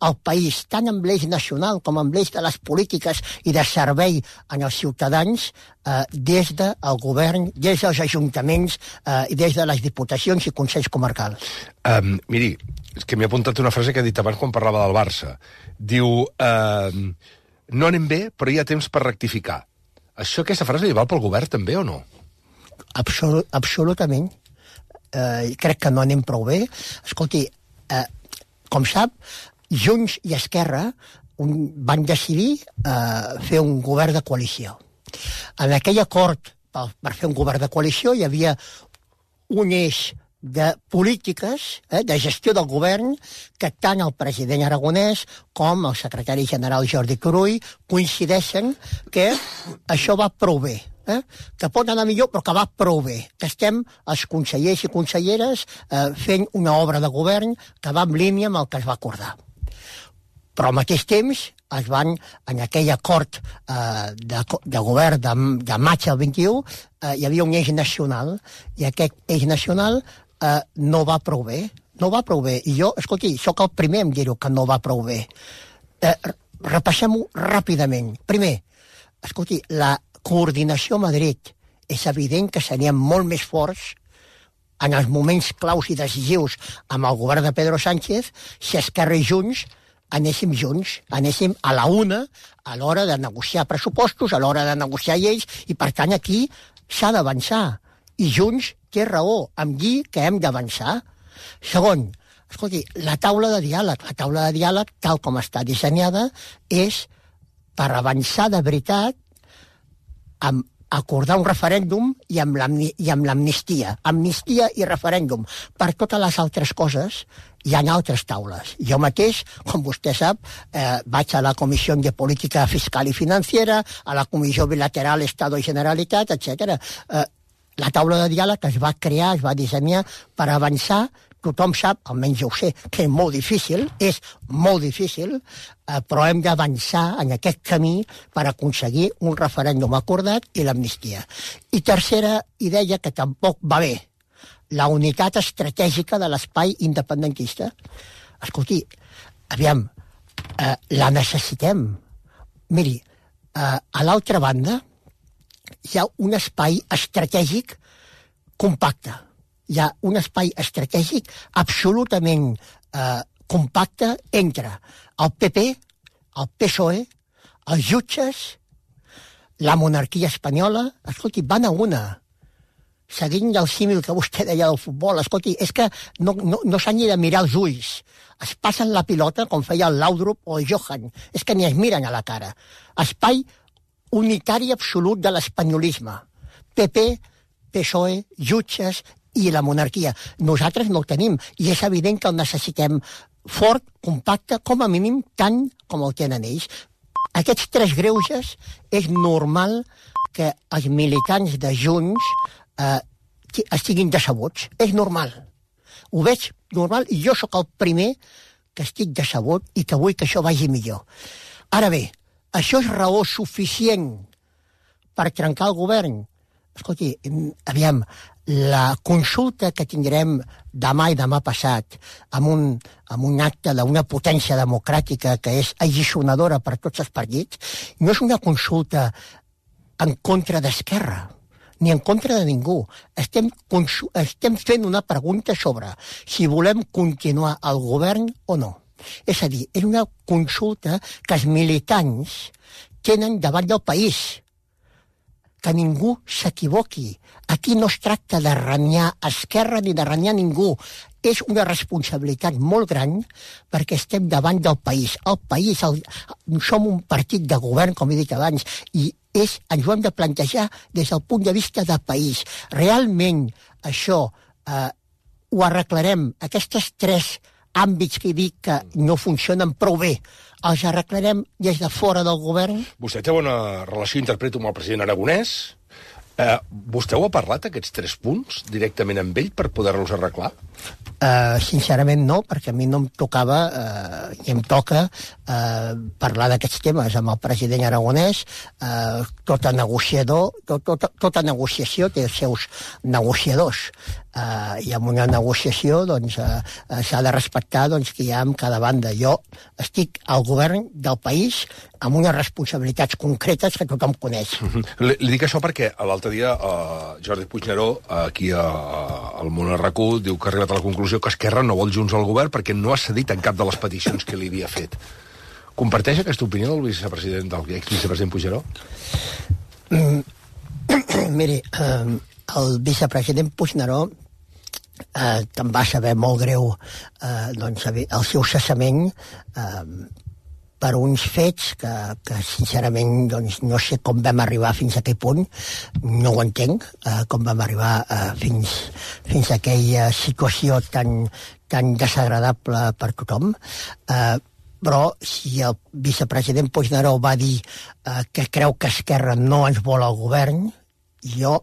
el país, tant amb l'eix nacional com amb l'eix de les polítiques i de servei en els ciutadans, eh, des del govern, des dels ajuntaments eh, i des de les diputacions i consells comarcals. Um, miri, és que m'he apuntat una frase que he dit abans quan parlava del Barça. Diu, uh, no anem bé, però hi ha temps per rectificar. Això, aquesta frase li val pel govern també o no? Absolut, absolutament. Eh, crec que no anem prou bé. Escolti, eh, com sap, Junts i Esquerra un, van decidir eh, fer un govern de coalició. En aquell acord per, per fer un govern de coalició hi havia un eix de polítiques, eh, de gestió del govern, que tant el president Aragonès com el secretari general Jordi Turull coincideixen que això va prou bé. Eh? Que pot anar millor, però que va prou bé. Que estem, els consellers i conselleres, eh, fent una obra de govern que va en línia amb el que es va acordar. Però al mateix temps es van, en aquell acord eh, de, de govern de, de maig del vint-i-u, eh, hi havia un eix nacional, i aquest eix nacional eh, no va prou bé. No va prou bé. I jo, escolti, sóc el primer en dir-ho que no va prou bé. Eh, repassem-ho ràpidament. Primer, escolti, la coordinació a Madrid és evident que seríem molt més forts en els moments claus i decisius amb el govern de Pedro Sánchez si Esquerra i Junts anéssim junts, anéssim a la una a l'hora de negociar pressupostos, a l'hora de negociar lleis, i per tant aquí s'ha d'avançar. I Junts té raó, em dir que hem d'avançar. Segon, escolti, la taula de diàleg, la taula de diàleg, tal com està dissenyada, és per avançar de veritat amb acordar un referèndum i amb l'amnistia. Amnistia i referèndum. Per totes les altres coses hi ha altres taules. Jo mateix, com vostè sap, eh, vaig a la Comissió de Política Fiscal i Financiera, a la Comissió Bilateral Estado i Generalitat, etcètera. Eh, La taula de diàleg es va crear, es va dissenyar per avançar. Tothom sap, almenys jo ho sé, que és molt difícil, és molt difícil, eh, però hem d'avançar en aquest camí per aconseguir un referèndum acordat i l'amnistia. I tercera idea que tampoc va bé, la unitat estratègica de l'espai independentista. Escolti, aviam, eh, la necessitem. Miri, eh, a l'altra banda hi ha un espai estratègic compacte. Hi ha un espai estratègic absolutament eh, compacte entre el P P, el P S O E, els jutges, la monarquia espanyola. Escolti, van a una. Seguint el símil que vostè deia del futbol, escolti, és que no, no, no s'han ni de mirar els ulls. Es passen la pilota, com feia el Laudrup o el Johan. És que ni es miren a la cara. Espai unitari absolut de l'espanyolisme. P P, P S O E, jutges i la monarquia. Nosaltres no ho tenim, i és evident que el necessitem fort, compacte, com a mínim, tant com el tenen ells. Aquests tres greuges és normal que els militants de Junts eh, estiguin decebuts. És normal. Ho veig normal, i jo sóc el primer que estic decebut i que vull que això vagi millor. Ara bé, això és raó suficient per trencar el govern? Escolti, aviam, la consulta que tindrem demà i demà passat amb un, amb un acte d'una potència democràtica que és alliçonadora per tots els partits, no és una consulta en contra d'Esquerra, ni en contra de ningú. Estem, estem fent una pregunta sobre si volem continuar al govern o no. És a dir, és una consulta que els militants tenen davant del país. Que ningú s'equivoqui. Aquí no es tracta de renyar Esquerra ni de renyar ningú. És una responsabilitat molt gran perquè estem davant del país. El país, el, som un partit de govern, com he dit abans, i és, ens ho hem de plantejar des del punt de vista de país. Realment això eh, ho arreglarem. Aquests tres àmbits que he dit que no funcionen prou bé, els arreglarem des de fora del govern? Vostè té bona relació, interpreto, amb el president Aragonès. Eh, vostè ho ha parlat, aquests tres punts, directament amb ell per poder-los arreglar? Uh, sincerament no, perquè a mi no em tocava uh, i em toca uh, parlar d'aquests temes amb el president Aragonès. Uh, tota negociador, tot, tota, tota negociació té els seus negociadors. Uh, I en una negociació doncs, uh, uh, s'ha de respectar doncs, que hi ha amb cada banda. Jo estic al govern del país amb unes responsabilitats concretes que tothom coneix. Li, li dic això perquè l'altre dia uh, Jordi Puigneró, aquí a, a, al Món R Q, diu que ha arribat a la conclusió que Esquerra no vol Junts al govern perquè no ha cedit en cap de les peticions que li havia fet. Comparteix aquesta opinió del vicepresident, del exvicepresident Puigneró? Mm, miri, eh, el vicepresident Puigneró, eh, que em va saber molt greu eh, doncs, el seu cessament eh, per uns fets que, que sincerament doncs, no sé com vam arribar fins a aquell punt, no ho entenc, eh, com vam arribar eh, fins, fins a aquella situació tan, tan desagradable per tothom. Eh, però si el vicepresident Puigneró va dir eh, que creu que Esquerra no ens vol al govern, jo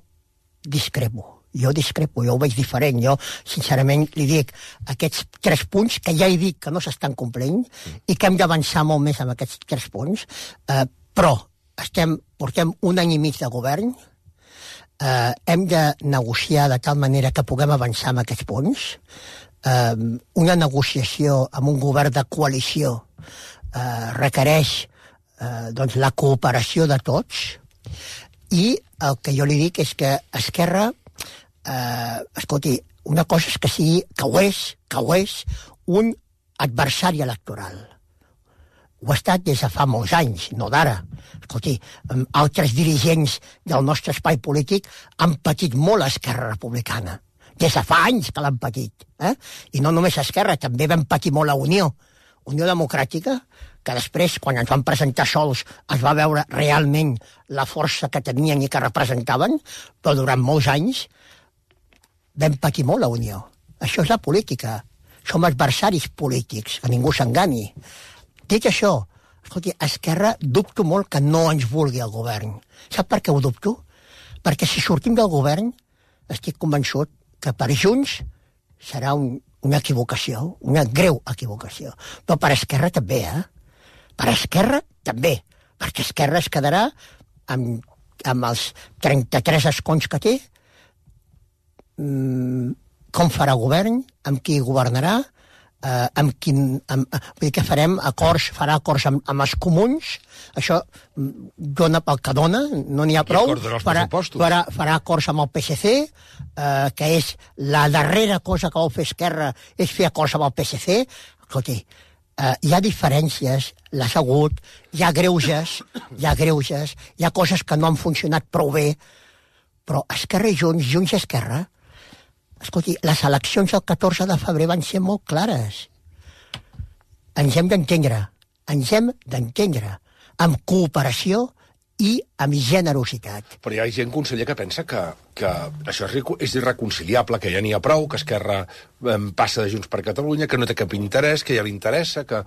discrepo. Jo discrepo, jo ho veig diferent. Jo, sincerament, li dic aquests tres punts que ja he dit que no s'estan complint i que hem d'avançar molt més amb aquests tres punts, eh, però estem, portem un any i mig de govern, eh, hem de negociar de tal manera que puguem avançar amb aquests punts. Eh, una negociació amb un govern de coalició eh, requereix eh, doncs, la cooperació de tots, i el que jo li dic és que Esquerra Eh, escolti, una cosa és que sigui, que ho és, que ho és, un adversari electoral. Ho ha estat des de fa molts anys, no d'ara. Escolti, altres dirigents del nostre espai polític han patit molt a Esquerra Republicana. Des de fa anys que l'han patit. Eh? I no només Esquerra, també vam patir molt a Unió. Unió Democràtica, que després, quan ens van presentar sols, es va veure realment la força que tenien i que representaven, però durant molts anys vam patir molt la Unió. Això és la política. Som adversaris polítics, que ningú s'engani. Dit això, escolti, Esquerra dubto molt que no ens vulgui el govern. Sap per què ho dubto? Perquè si sortim del govern estic convençut que per Junts serà un, una equivocació, una greu equivocació. Però per Esquerra també, eh? Per Esquerra també, perquè Esquerra es quedarà amb, amb els trenta-tres escons que té, mm, com farà govern, amb qui governarà, eh, amb quin... Amb, vull dir que farem acords, farà acords amb, amb els comuns, això dona pel que dona, no n'hi ha prou, farà, farà, farà acords amb el P S C, eh, que és la darrera cosa que vol fer Esquerra, és fer acords amb el P S C. Escolti, eh, hi ha diferències, les ha hagut, hi ha greuges, hi ha greuges, hi ha coses que no han funcionat prou bé, però Esquerra i Junts, Junts i Esquerra, escolti, les eleccions del catorze de febrer van ser molt clares. Ens hem d'entendre, ens hem d'entendre, amb cooperació i amb generositat. Però hi ha gent, conseller, que pensa que, que això és, és irreconciliable, que ja n'hi ha prou, que Esquerra eh, passa de Junts per Catalunya, que no té cap interès, que ja li interessa, que...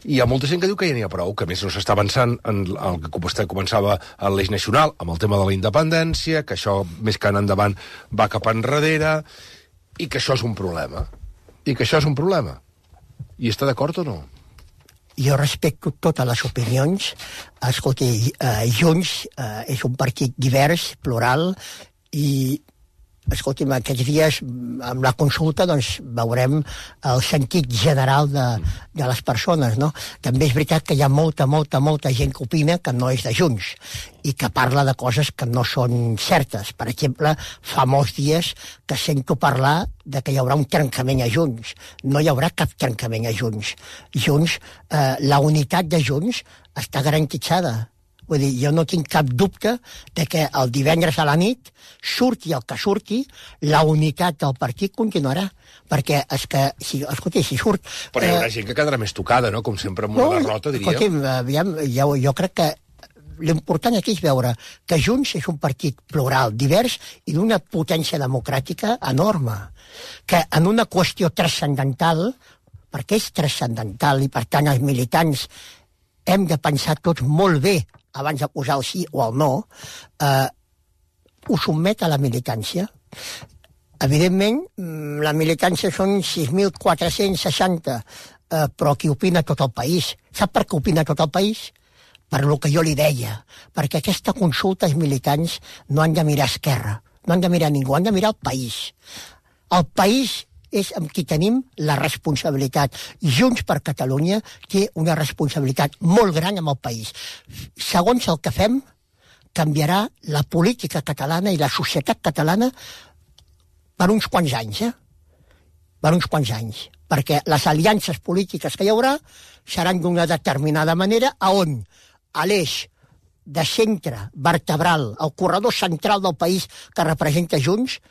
I hi ha molta gent que diu que ja n'hi ha prou, que a més no s'està avançant en el que vostè començava a l'eix nacional, amb el tema de la independència, que això més que anar endavant va cap enrere, i que això és un problema. I que això és un problema. I està d'acord o no? Jo respecto totes les opinions. Escolti, eh, Junts eh, és un partit divers, plural, i, escolti'm, aquests dies, amb la consulta, doncs, veurem el sentit general de, de les persones, no? També és veritat que hi ha molta, molta, molta gent que opina que no és de Junts i que parla de coses que no són certes. Per exemple, fa molts dies que sento parlar de que hi haurà un trencament a Junts. No hi haurà cap trencament a Junts. Junts, eh, la unitat de Junts està garantitzada. Vull dir, jo no tinc cap dubte de que el divendres a la nit, surti el que surti, la unitat del partit continuarà. Perquè, és que, si, escolta, si surt... Però hi haurà eh, gent que quedarà més tocada, no? Com sempre amb una no, derrota, diria. Escolta, aviam, jo, jo crec que l'important aquí és veure que Junts és un partit plural, divers i d'una potència democràtica enorme. Que en una qüestió transcendental, perquè és transcendental i, per tant, els militants hem de pensar tots molt bé abans de posar el sí o el no, eh, ho sotmet a la militància. Evidentment, la militància són sis mil quatre-cents seixanta, eh, però qui opina tot el país. Sap per què opina tot el país? Per lo que jo li deia. Perquè aquesta consulta els militants no han de mirar a Esquerra, no han de mirar a ningú, han de mirar al país. El país és amb qui tenim la responsabilitat. Junts per Catalunya té una responsabilitat molt gran amb el país. Segons el que fem, canviarà la política catalana i la societat catalana per uns quants anys, eh? Per uns quants anys. Perquè les aliances polítiques que hi haurà seran d'una determinada manera, a on a l'eix de centre vertebral, el corredor central del país que representa Junts,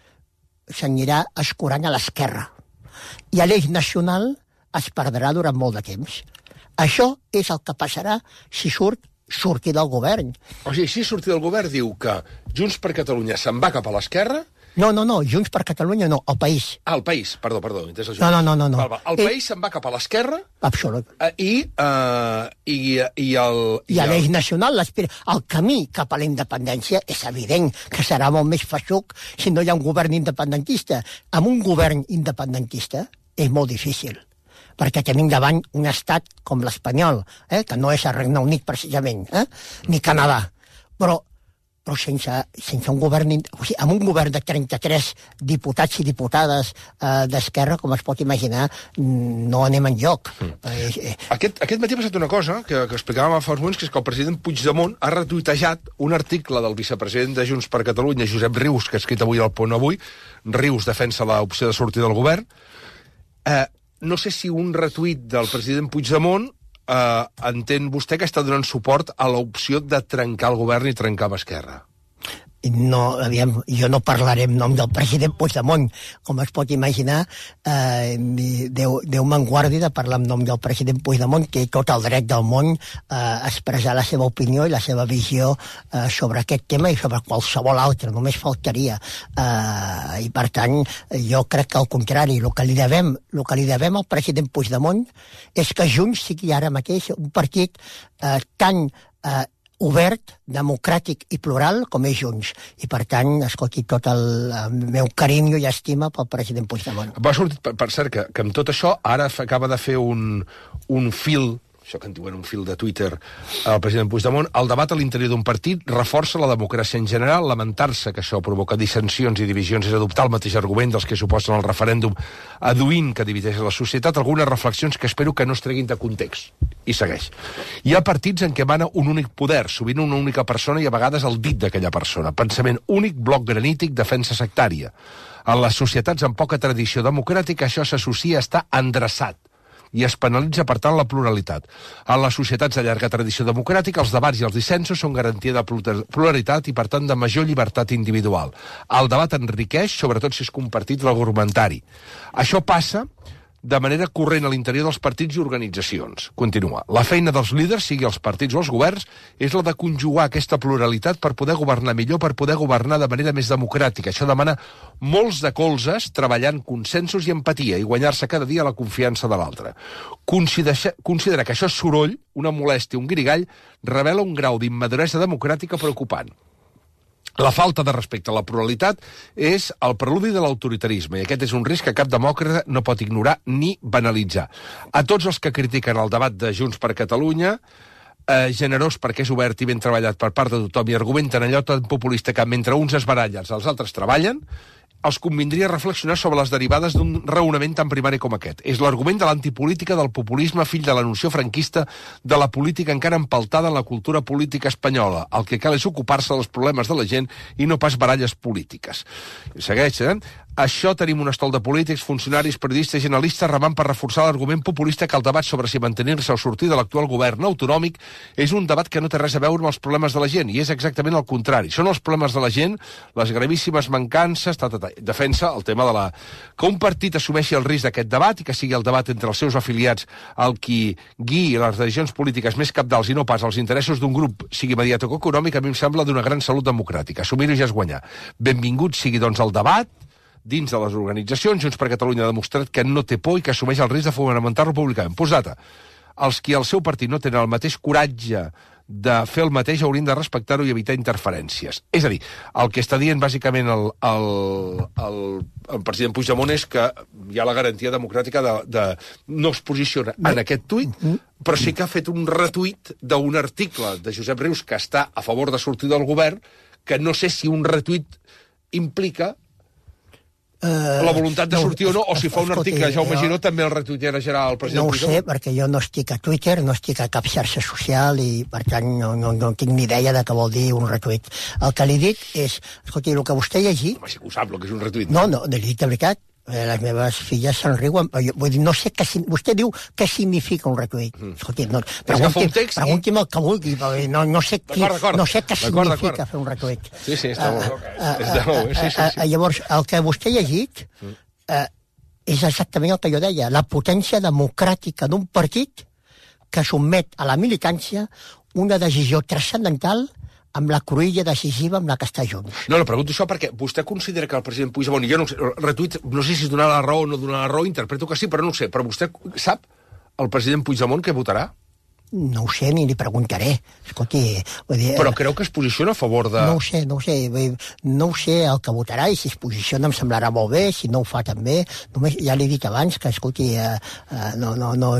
s'anirà escurant a l'esquerra. I a l'eix nacional es perdrà durant molt de temps. Això és el que passarà si surt sortir del govern. O sigui, si sortir del govern diu que Junts per Catalunya se'n va cap a l'esquerra... No, no, no, Junts per Catalunya no, el país. Ah, el país, perdó, perdó. No, no, no, no, no. Val, val. El eh... país se'n va cap a l'esquerra... Absolut. Eh, I, eh, i, i el... I, I a l'eix nacional, el camí cap a la independència és evident que serà molt més feixuc si no hi ha un govern independentista. Amb un govern independentista és molt difícil, perquè tenim davant un estat com l'espanyol, eh, que no és el Regne Unit precisament, eh, ni Canadà, però però sense, sense un govern... O sigui, amb un govern de trenta-tres diputats i diputades eh, d'Esquerra, com es pot imaginar, no anem enlloc. Mm. Eh, aquest, aquest matí ha passat una cosa que, que explicàvem fa uns moments, que és que el president Puigdemont ha retuitejat un article del vicepresident de Junts per Catalunya, Josep Rius, que ha escrit avui al Punt Avui. Rius defensa l'opció de sortir del govern. Eh, no sé si un retuit del president Puigdemont Uh, entén vostè que està donant suport a l'opció de trencar el govern i trencar amb Esquerra? No, aviam, jo no parlaré en nom del president Puigdemont, com es pot imaginar. Eh, Déu, Déu me'n guardi de parlar en nom del president Puigdemont, que té tot el dret del món a eh, expressar la seva opinió i la seva visió eh, sobre aquest tema i sobre qualsevol altre, només faltaria. Eh, I per tant, jo crec que al contrari, el que li devem, el que li devem al president Puigdemont és que Junts sigui ara mateix un partit eh, tan eh, obert, democràtic i plural com és Junts. I, per tant, escolti, tot el, el meu carinyo i estima pel president Puigdemont. Va sortir, per, per cert, que, que amb tot això ara acaba de fer un, un fil, això que en diuen un fil de Twitter, el president Puigdemont, el debat a l'interior d'un partit reforça la democràcia en general, lamentar-se que això provoca dissensions i divisions és adoptar el mateix argument dels que suposen el referèndum aduint que divideix la societat, algunes reflexions que espero que no es treguin de context. I segueix. Hi ha partits en què mana un únic poder, sovint una única persona i a vegades el dit d'aquella persona. Pensament únic, bloc granític, defensa sectària. En les societats amb poca tradició democràtica això s'associa a estar endreçat i es penalitza, per tant, la pluralitat. En les societats de llarga tradició democràtica, els debats i els dissensos són garantia de pluralitat i, per tant, de major llibertat individual. El debat enriqueix, sobretot si és compartit l'argumentari. Això passa de manera corrent a l'interior dels partits i organitzacions. Continua. La feina dels líders, sigui els partits o els governs, és la de conjugar aquesta pluralitat per poder governar millor, per poder governar de manera més democràtica. Això demana molts de colzes, treballant consensos i empatia, i guanyar-se cada dia la confiança de l'altre. Considerar, considerar que això és soroll, una molèstia, un guirigall, revela un grau d'immaduresa democràtica preocupant. La falta de respecte a la pluralitat és el preludi de l'autoritarisme, i aquest és un risc que cap demòcrata no pot ignorar ni banalitzar. A tots els que critiquen el debat de Junts per Catalunya, eh, generós perquè és obert i ben treballat per part de tothom i argumenten allò tan populista que mentre uns es barallen, els altres treballen, els convindria reflexionar sobre les derivades d'un raonament tan primari com aquest. És l'argument de l'antipolítica del populisme, fill de la noció franquista de la política encara empaltada en la cultura política espanyola. El que cal és ocupar-se dels problemes de la gent i no pas baralles polítiques. Segueix, eh? Això tenim un estol de polítics, funcionaris, periodistes i analistes remant per reforçar l'argument populista que el debat sobre si mantenir-se o sortir de l'actual govern autonòmic és un debat que no té res a veure amb els problemes de la gent, i és exactament el contrari. Són els problemes de la gent, les gravíssimes mancances, ta, ta, ta. Defensa el tema de la... que un partit assumeixi el risc d'aquest debat i que sigui el debat entre els seus afiliats el qui guiï les decisions polítiques més capdals i no pas els interessos d'un grup, sigui mediàtic o econòmic, a mi em sembla d'una gran salut democràtica. Assumir-ho ja és guanyar. Benvingut sigui, doncs, el debat dins de les organitzacions. Junts per Catalunya ha demostrat que no té por i que assumeix el risc de fonamentar republicament. Postdata, els qui al seu partit no tenen el mateix coratge de fer el mateix haurien de respectar-ho i evitar interferències. És a dir, el que està dient bàsicament el, el, el, el president Puigdemont és que hi ha la garantia democràtica de, de no es posiciona en aquest tuit, però sí que ha fet un retuit d'un article de Josep Rius que està a favor de sortir del govern, que no sé si un retuit implica Uh, la voluntat de sortir no, o no, o si fa un article Jaume Giró també el retuitejarà el president Puigdemont. No ho Puigdemont. sé, perquè jo no estic a Twitter, no estic a cap xarxa social i, per tant, no, no, no tinc ni idea de què vol dir un retuit. El que li dic és, escolti, el que vostè ha llegit... Home, sí que ho sap, el que és un retuit. No, no, li dic de veritat. Les meves filles se'n riuen. Vull dir, no sé què... Vostè diu què significa un retuit. Mm. Escolti, no, pregunti'm, pregunti'm el que vulgui. No, no, sé, qui, no sé què significa fer un retuit. Sí, sí, està molt bé. Uh, uh, uh, sí, sí, sí. Llavors, el que vostè ha llegit uh, és exactament el que jo deia. La potència democràtica d'un partit que sotmet a la militància una decisió transcendental amb la cruïlla decisiva amb la que està Junts. No, no, pregunto això perquè vostè considera que el president Puigdemont, jo no sé, retuit, no sé si donar la raó o no donar la raó, interpreto que sí, però no ho sé. Però vostè sap el president Puigdemont què votarà? No ho sé, ni li preguntaré. Escolti, vull dir... Però creu que es posiciona a favor de... No ho sé, no ho sé. No ho sé el que votarà, i si es posiciona em semblarà molt bé, si no ho fa també. Només, ja l'he dit abans, que, escolti, eh, eh, no, no, no,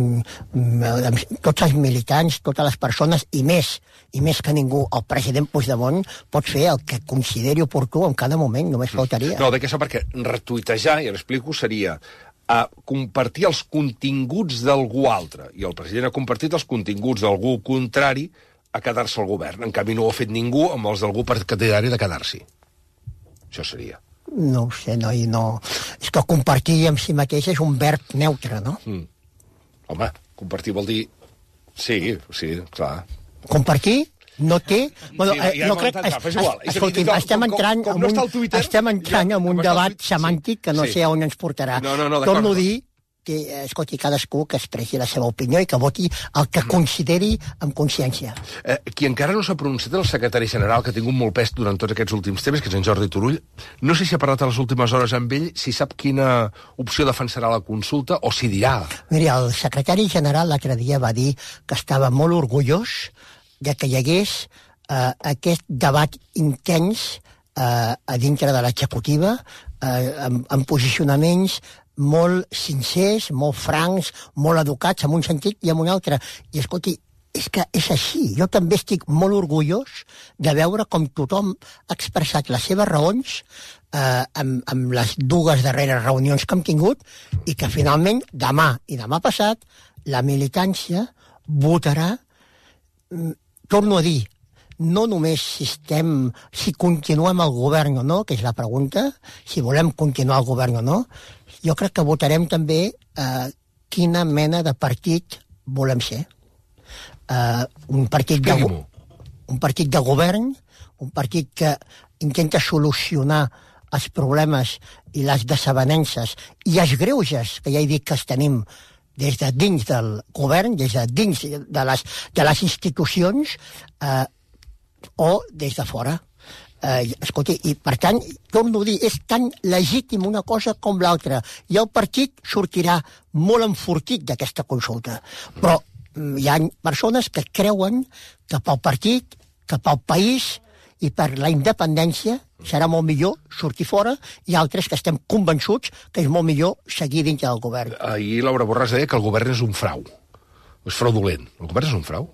tots els militants, totes les persones, i més, i més que ningú, el president Puigdemont pot fer el que consideri oportú en cada moment, només faltaria. No, de què això, perquè retuitejar, i l'explico, seria a compartir els continguts d'algú altre, i el president ha compartit els continguts d'algú contrari a quedar-se al govern. En canvi, no ho ha fet ningú amb els d'algú partidari de quedar-s'hi. Això seria. No ho sé, no, i no... És que compartir amb si mateix és un verb neutre, no? Mm. Home, compartir vol dir... Sí, sí, clar. Compartir no té... Sí, bueno, eh, ja no crec, es, es, igual. Escolti'm, estem entrant en un, Twitter, estem entrant ja, en un debat semàntic que no sí. sé on ens portarà. No, no, no, torno a dir que, escolti, cadascú que expressi la seva opinió i que voti el que consideri amb consciència. Eh, qui encara no s'ha pronunciat, el secretari general, que ha tingut molt pes durant tots aquests últims temps, que és en Jordi Turull, no sé si ha parlat a les últimes hores amb ell, si sap quina opció defensarà la consulta o si dirà. Miri, el secretari general l'altre dia va dir que estava molt orgullós de que hi hagués eh, aquest debat intens eh, a dintre de l'executiva, eh, amb, amb posicionaments molt sincers, molt francs, molt educats, en un sentit i en un altre. I, escolti, és que és així. Jo també estic molt orgullós de veure com tothom ha expressat les seves raons eh, amb, amb les dues darreres reunions que hem tingut i que finalment demà i demà passat la militància votarà, torno a dir, no només si estem, si continuem al govern o no, que és la pregunta, si volem continuar al govern o no, jo crec que votarem també eh, quina mena de partit volem ser. Uh, un partit de, un partit de govern, un partit que intenta solucionar els problemes i les desavenences i els greuges que ja he dit que els tenim des de dins del govern, des de dins de les, de les institucions uh, o des de fora. Uh, escolti, i per tant, torno a dir, és tan legítim una cosa com l'altra i el partit sortirà molt enfortit d'aquesta consulta, però hi ha persones que creuen que pel partit, que pel país i per la independència serà molt millor sortir fora i altres que estem convençuts que és molt millor seguir dins del govern. Ahir Laura Borràs deia que el govern és un frau. És fraudulent. El govern és un frau?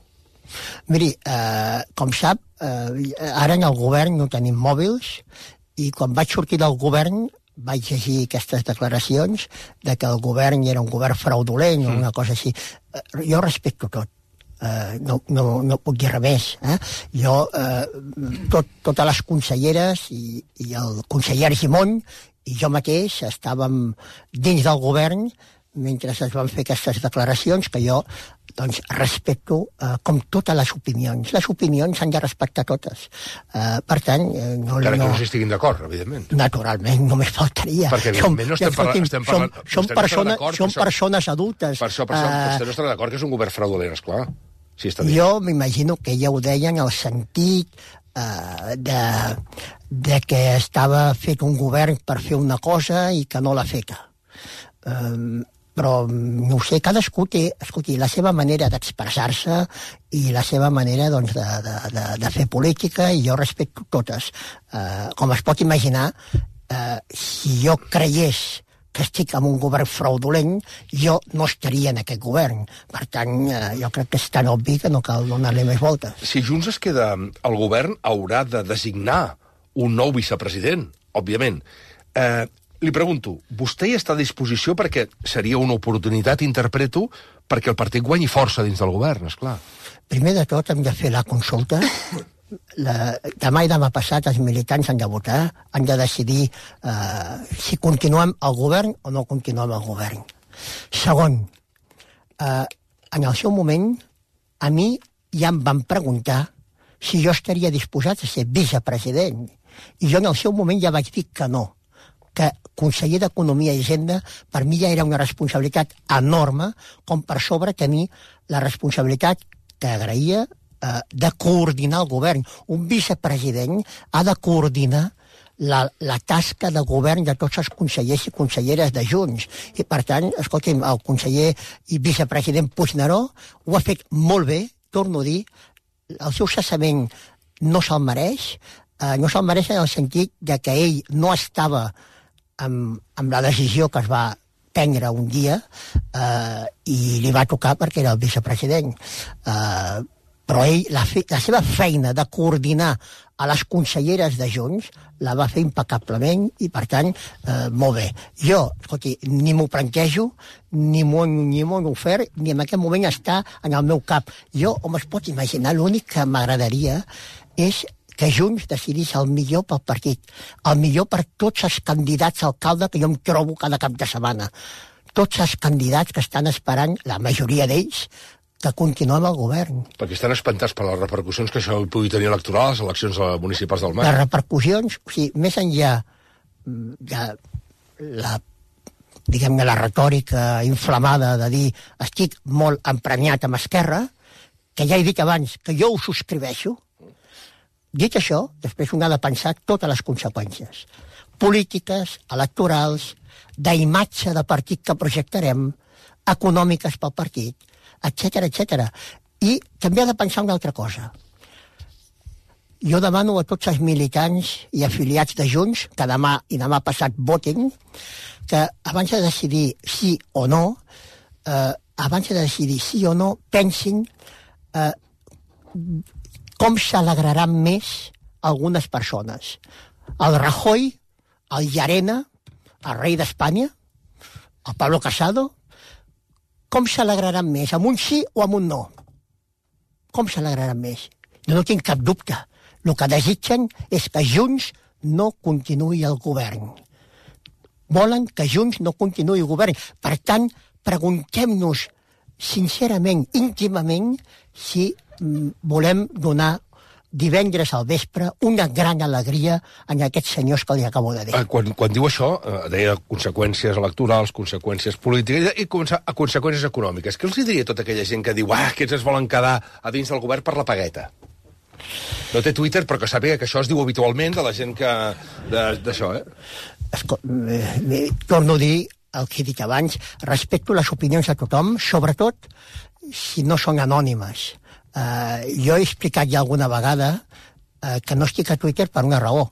Miri, eh, com sap, eh, ara en el govern no tenim mòbils i quan vaig sortir del govern vaig llegir aquestes declaracions de que el govern era un govern fraudulent o mm. una cosa així. Jo respecto tot. Uh, no, no, no puc dir res més. Eh? Jo, uh, tot, totes les conselleres i, i el conseller Argimon i jo mateix estàvem dins del govern mentre es van fer aquestes declaracions que jo doncs, respecto uh, com totes les opinions. Les opinions s'han de respectar totes. Uh, per tant... Uh, no, Encara no... que no s'estiguin d'acord, evidentment. Naturalment, només faltaria. Perquè evidentment no estem parlant... Estem parlant som, som, persona, som per persones adultes. Per això, per això, uh, vostè no estarà d'acord que és un govern fraudulent, esclar. Sí, està jo m'imagino que ja ho deien en el sentit uh, de, de que estava fet un govern per fer una cosa i que no l'ha feta. Um, però no ho sé, cadascú té, escolti, la seva manera d'expressar-se i la seva manera doncs, de, de, de, de fer política i jo respecto totes. Uh, com es pot imaginar, uh, si jo creiés que estic en un govern fraudulent, jo no estaria en aquest govern. Per tant, uh, jo crec que és tan obvi que no cal donar-li més voltes. Si Junts es queda al govern, haurà de designar un nou vicepresident, òbviament. Eh, Li pregunto, vostè hi està a disposició perquè seria una oportunitat, interpreto, perquè el partit guanyi força dins del govern, esclar. Primer de tot hem de fer la consulta. La, demà i demà passat els militants han de votar, han de decidir eh, si continuem al govern o no continuem al govern. Segon, eh, en el seu moment, a mi ja em van preguntar si jo estaria disposat a ser vicepresident. I jo en el seu moment ja vaig dir que no, que conseller d'Economia i Hisenda per mi ja era una responsabilitat enorme com per sobre tenir la responsabilitat que agraïa eh, de coordinar el govern. Un vicepresident ha de coordinar la, la tasca de govern de tots els consellers i conselleres de Junts. I per tant, escolti'm, el conseller i vicepresident Puigneró ho ha fet molt bé, torno a dir, el seu cessament no se'l mereix, eh, no se'l mereix en el sentit de que ell no estava Amb, amb la decisió que es va prendre un dia eh, i li va tocar perquè era el vicepresident. Eh, però ell, la, fe, la seva feina de coordinar a les conselleres de Junts la va fer impecablement i, per tant, eh, molt bé. Jo, escolti, ni m'ho plantejo, ni m'ho ni m'ho han ofert, ni en aquest moment està en el meu cap. Jo, com es pot imaginar, l'únic que m'agradaria és que Junts decidís el millor pel partit, el millor per tots els candidats a alcalde que jo em trobo cada cap de setmana. Tots els candidats que estan esperant, la majoria d'ells, que continuem al govern. Perquè estan espantats per les repercussions que això pugui tenir electoral a les eleccions municipals del maig. Les repercussions, o sigui, més enllà de la, diguem-ne, la retòrica inflamada de dir estic molt emprenyat amb Esquerra, que ja he dit abans que jo ho subscriveixo. Dit això, després un ha de pensar totes les conseqüències polítiques, electorals, d'imatge de partit que projectarem, econòmiques pel partit, etcètera, etcètera. I també ha de pensar una altra cosa. Jo demano a tots els militants i afiliats de Junts, que demà i demà passat votin, que abans de decidir sí o no, eh, abans de decidir sí o no, pensin eh, com s'alegraran més algunes persones. El Rajoy, el Llarena, el rei d'Espanya, el Pablo Casado, com s'alegraran més, amb un sí o amb un no? Com s'alegraran més? Jo no tinc cap dubte. El que desitgen és que Junts no continuï el govern. Volen que Junts no continuï el govern. Per tant, preguntem-nos sincerament, íntimament, si mm, volem donar divendres al vespre una gran alegria en aquests senyors que li acabo de dir. Quan, quan diu això, eh, deia conseqüències electorals, conseqüències polítiques i a conseqüències econòmiques. Què els diria tota aquella gent que diu ah, aquests es volen quedar a dins del govern per la pagueta? No té Twitter, però que sàpiga que això es diu habitualment de la gent que... d'això, eh? Esco, eh, eh, torno a dir el que he dit abans, respecto les opinions de tothom, sobretot si no són anònimes. Uh, jo he explicat ja alguna vegada uh, que no estic a Twitter per una raó,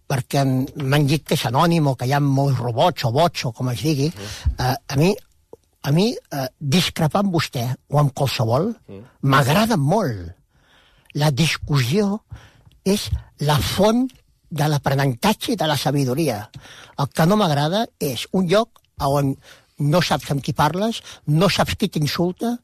perquè m'han dit que és anònim o que hi ha molts robots o bots o com es digui. Uh, a mi, a mi uh, discrepar amb vostè o amb qualsevol m'agrada molt. La discussió és la font de l'aprenentatge i de la sabidoria. El que no m'agrada és un lloc on no saps amb qui parles, no saps qui t'insulta,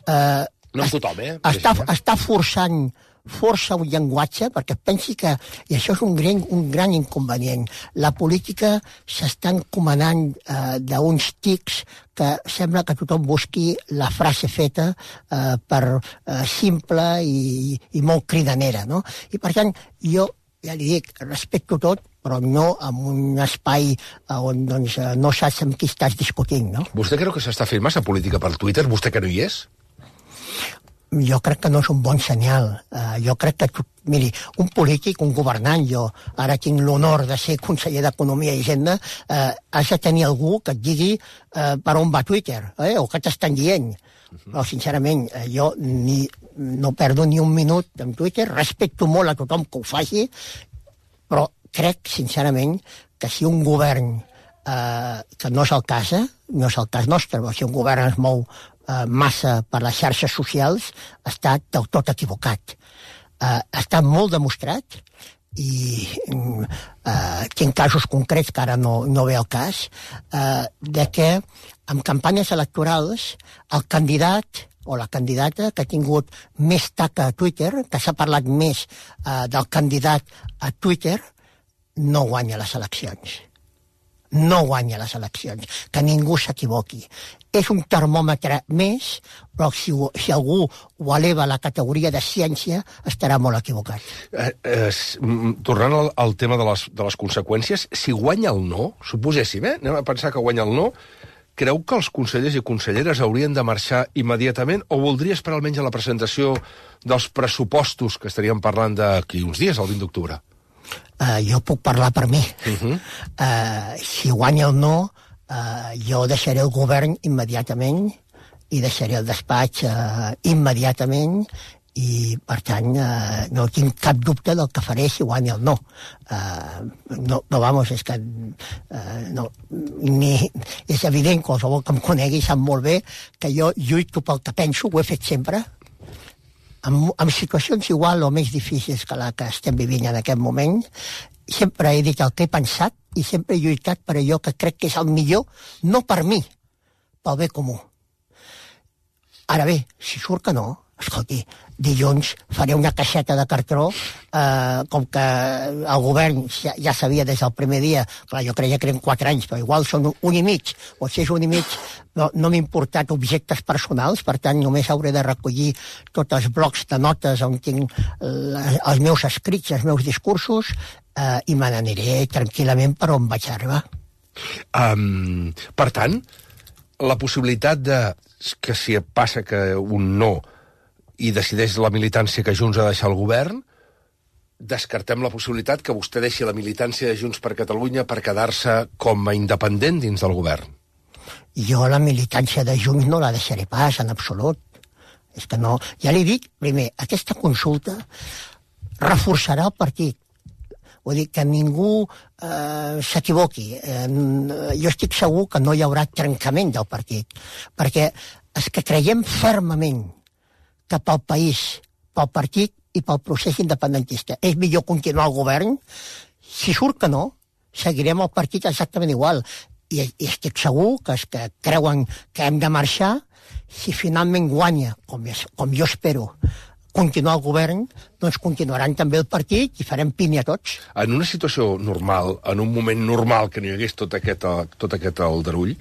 eh, no amb tothom, eh? Està, està forçant força un llenguatge, perquè pensi que, i això és un gran, un gran inconvenient, la política s'està encomanant eh, d'uns tics que sembla que tothom busqui la frase feta eh, per eh, simple i, i molt cridanera, no? I per tant, jo ja li dic, respecto tot, però no en un espai on doncs, no saps amb qui estàs discutint, no? Vostè creu que s'està fent massa política per Twitter? Vostè que no hi és? Jo crec que no és un bon senyal. Uh, jo crec que, miri, un polític, un governant, jo ara tinc l'honor de ser conseller d'Economia i Hisenda, uh, has de tenir algú que et digui uh, per on va Twitter, eh? O què t'estan dient. Però, sincerament, uh, jo ni, no perdo ni un minut en Twitter, respecto molt a tothom que ho faci, però crec, sincerament, que si un govern, uh, que no és el cas, eh? no és el cas nostre, però si un govern es mou Uh, massa per les xarxes socials, està del tot equivocat. Uh, està molt demostrat i uh, tinc casos concrets que ara no, no ve al cas, uh, de que en campanyes electorals el candidat o la candidata que ha tingut més taca a Twitter, que s'ha parlat més uh, del candidat a Twitter, no guanya les eleccions. No guanya les eleccions. Que ningú s'equivoqui. És un termòmetre més, però si, si algú ho eleva a la categoria de ciència, estarà molt equivocat. Eh, eh, tornant al, al tema de les, de les conseqüències, si guanya el no, suposéssim, eh? anem a pensar que guanya el no, creu que els consellers i conselleres haurien de marxar immediatament o voldria esperar almenys a la presentació dels pressupostos que estaríem parlant d'aquí uns dies, el vint d'octubre? Uh, jo puc parlar per mi. Uh-huh. uh, si guanya el no, uh, jo deixaré el govern immediatament i deixaré el despatx uh, immediatament i, per tant, uh, no tinc cap dubte del que faré si guanya el no. Uh, no, no, vamos, és que uh, no, ni, és evident, qualsevol que em conegui sap molt bé que jo lluito pel que penso, ho he fet sempre, En, en situacions igual o més difícils que la que estem vivint en aquest moment, sempre he dit el que he pensat i sempre he lluitat per allò que crec que és el millor, no per mi, pel bé comú. Ara bé, si surt que no, escolti, dilluns faré una caixeta de cartró, eh, com que el govern ja, ja sabia des del primer dia, clar, jo creia que eren quatre anys, però igual són un i mig, o si és un i mig, no, no m'he importat objectes personals, per tant només hauré de recollir tots els blocs de notes on tinc la, els meus escrits, els meus discursos, eh, i me n'aniré tranquil·lament per on vaig arribar. Um, per tant, la possibilitat de que si passa que un no i decideix la militància que Junts ha de deixar el govern, descartem la possibilitat que vostè deixi la militància de Junts per Catalunya per quedar-se com a independent dins del govern. Jo la militància de Junts no la deixaré pas, en absolut. És que no... Ja li dic, primer, aquesta consulta reforçarà el partit. Vull dir, que ningú eh, s'equivoqui. Eh, jo estic segur que no hi haurà trencament del partit, perquè és que creiem fermament que pel país, pel partit i pel procés independentista és millor continuar al govern. Si surt que no, seguirem el partit exactament igual. I, i estic segur que els que creuen que hem de marxar, si finalment guanya, com, com jo espero, continuar el govern, doncs continuaran també el partit i farem pinya tots. En una situació normal, en un moment normal que no hi hagués tot aquest, tot aquest aldarull,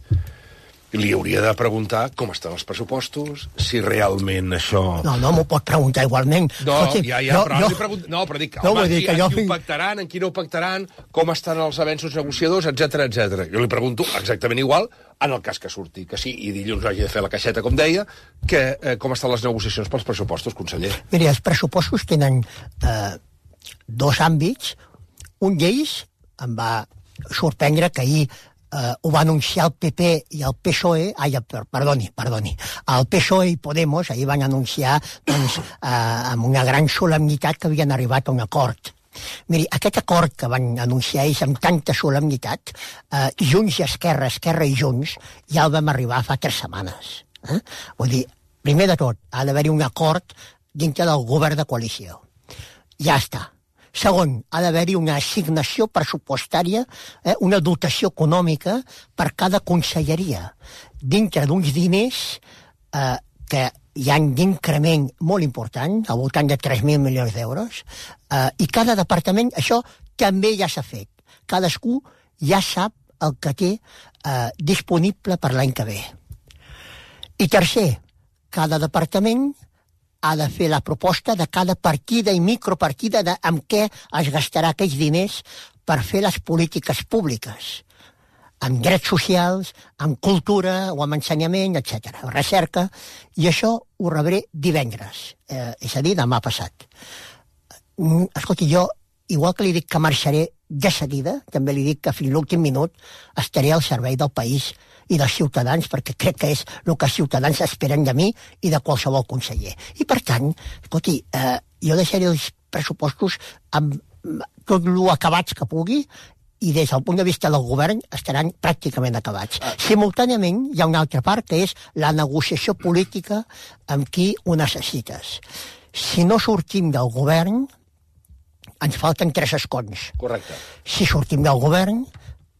li hauria de preguntar com estan els pressupostos, si realment això... No, no m'ho pot preguntar igualment. No, Escolti, ja, ja, jo, però jo... li pregunto... No, però dic, no, home, dir qui, que en jo... qui ho pactaran, en qui no ho pactaran, com estan els avenços negociadors, etcètera, etcètera. Jo li pregunto exactament igual, en el cas que surti, que sí, i dilluns hagi de fer la caixeta, com deia, que eh, com estan les negociacions pels pressupostos, conseller. Miri, els pressupostos tenen eh, dos àmbits. Un d'ells em va sorprendre que ahir Uh, ho va anunciar el P P i el P S O E, ai, perdoni, perdoni, el P S O E i Podemos ahir van anunciar doncs, uh, amb una gran solemnitat que havien arribat a un acord. Miri, aquest acord que van anunciar ells amb tanta solemnitat, uh, Junts i Esquerra, Esquerra i Junts, ja el vam arribar fa tres setmanes. Eh? Vull dir, primer de tot, ha d'haver-hi un acord dintre del govern de coalició. Ja està. Segon, ha d'haver-hi una assignació pressupostària, eh, una dotació econòmica per cada conselleria, dintre d'uns diners eh, que hi ha d'increment molt important, al voltant de tres mil milions d'euros, eh, i cada departament, això també ja s'ha fet. Cadascú ja sap el que té eh, disponible per l'any que ve. I tercer, cada departament ha de fer la proposta de cada partida i micropartida de amb què es gastarà aquells diners per fer les polítiques públiques, amb drets socials, amb cultura o amb ensenyament, etcètera, recerca, i això ho rebré divendres, eh, és a dir, demà passat. Escolti, jo, igual que li dic que marxaré de seguida, també li dic que fins l'últim minut estaré al servei del país i dels ciutadans, perquè crec que és el que els ciutadans esperen de mi i de qualsevol conseller. I, per tant, escolti, eh, jo deixaré els pressupostos amb tot el acabats que pugui i des del punt de vista del govern estaran pràcticament acabats. Simultàniament hi ha una altra part que és la negociació política amb qui ho necessites. Si no sortim del govern, ens falten tres escons. Correcte. Si sortim del govern,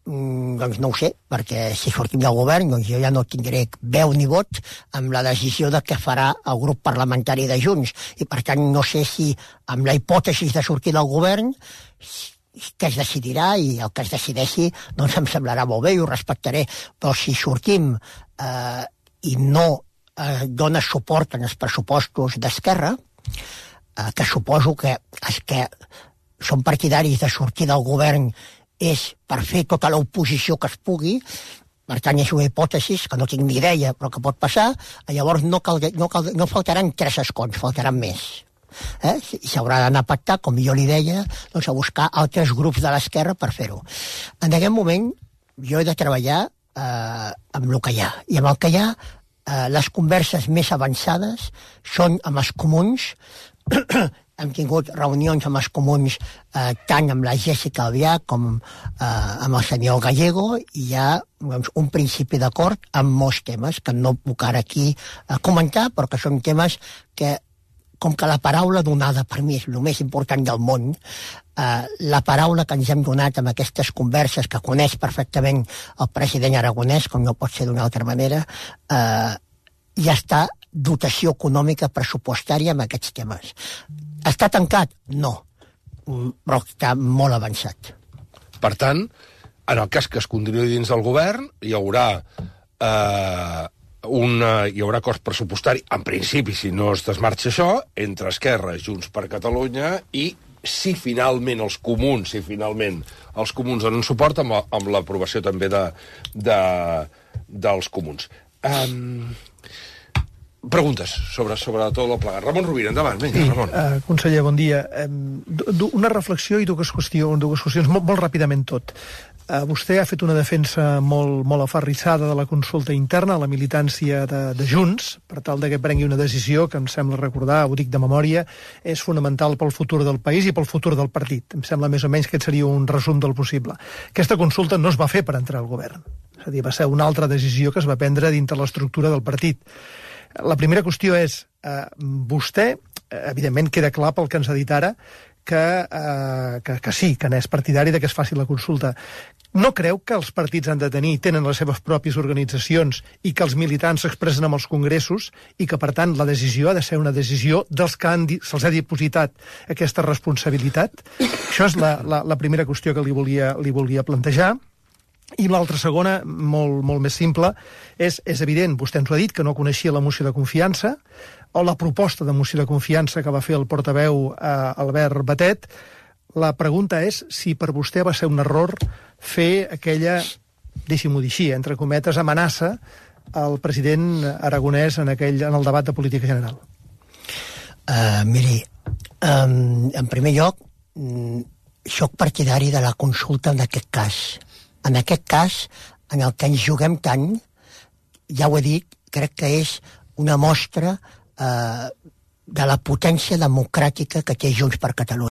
doncs no ho sé, perquè si sortim del govern doncs jo ja no tindré veu ni vot amb la decisió de què farà el grup parlamentari de Junts, i per tant no sé si amb la hipòtesi de sortir del govern que es decidirà, i el que es decideixi doncs em semblarà molt bé i ho respectaré, però si sortim eh, i no eh, dona suport en els pressupostos d'Esquerra, eh, que suposo que els que són partidaris de sortir del govern és per fer tota l'oposició que es pugui, per tant és una hipòtesi que no tinc ni idea però que pot passar, llavors no, cal, no, cal, no faltaran tres escons, faltaran més. Eh? S'haurà d'anar a pactar, com jo li deia, doncs a buscar altres grups de l'esquerra per fer-ho. En aquest moment jo he de treballar eh, amb el que hi ha, i amb el que hi ha eh, les converses més avançades són amb els comuns. Hem tingut reunions amb els comuns eh, tant amb la Jessica Albiach com eh, amb el senyor Gallego, i hi ha doncs, un principi d'acord amb molts temes que no puc ara aquí eh, comentar, però que són temes que, com que la paraula donada per mi és el més important del món, eh, la paraula que ens hem donat amb aquestes converses, que coneix perfectament el president Aragonès, com no pot ser d'una altra manera, eh, ja està dotació econòmica pressupostària amb aquests temes. Està tancat? No, però està molt avançat. Per tant, en el cas que es continuï dins del govern, hi haurà eh, una, hi haurà cost pressupostari, en principi, si no es desmarxa això, entre Esquerra, Junts per Catalunya, i si finalment els comuns, si finalment els comuns donen suport, amb, amb l'aprovació també de, de, dels comuns. Um, Preguntes sobre, sobre tot el plegat. Ramon Rovira, endavant. Vinga, sí, Ramon. Uh, conseller, bon dia. Um, una reflexió i dues qüestions, dues qüestions molt, molt ràpidament tot. Uh, vostè ha fet una defensa molt, molt aferrissada de la consulta interna, la militància de, de Junts, per tal de que prengui una decisió que em sembla recordar, ho dic de memòria, és fonamental pel futur del país i pel futur del partit. Em sembla més o menys que aquest seria un resum del possible. Aquesta consulta no es va fer per entrar al govern. És a dir, va ser una altra decisió que es va prendre dintre l'estructura del partit. La primera qüestió és, eh, vostè, evidentment queda clar pel que ens ha dit ara, que, eh, que, que sí, que n'és partidari de que es faci la consulta. No creu que els partits han de tenir, tenen les seves pròpies organitzacions i que els militants s'expressen amb els congressos i que, per tant, la decisió ha de ser una decisió dels que se'ls ha dipositat aquesta responsabilitat? Això és la, la, la primera qüestió que li volia, li volia plantejar. I l'altra segona, molt, molt més simple, és, és evident, vostè ens ho ha dit, que no coneixia la moció de confiança, o la proposta de moció de confiança que va fer el portaveu eh, Albert Batet. La pregunta és si per vostè va ser un error fer aquella, deixi-m'ho dir així, entre cometes, amenaça al president Aragonès en, aquell, en el debat de política general. Uh, miri, um, en primer lloc, um, soc partidari de la consulta en aquest cas. En aquest cas, en el que ens juguem tant, ja ho he dit, crec que és una mostra eh, de la potència democràtica que té Junts per Catalunya.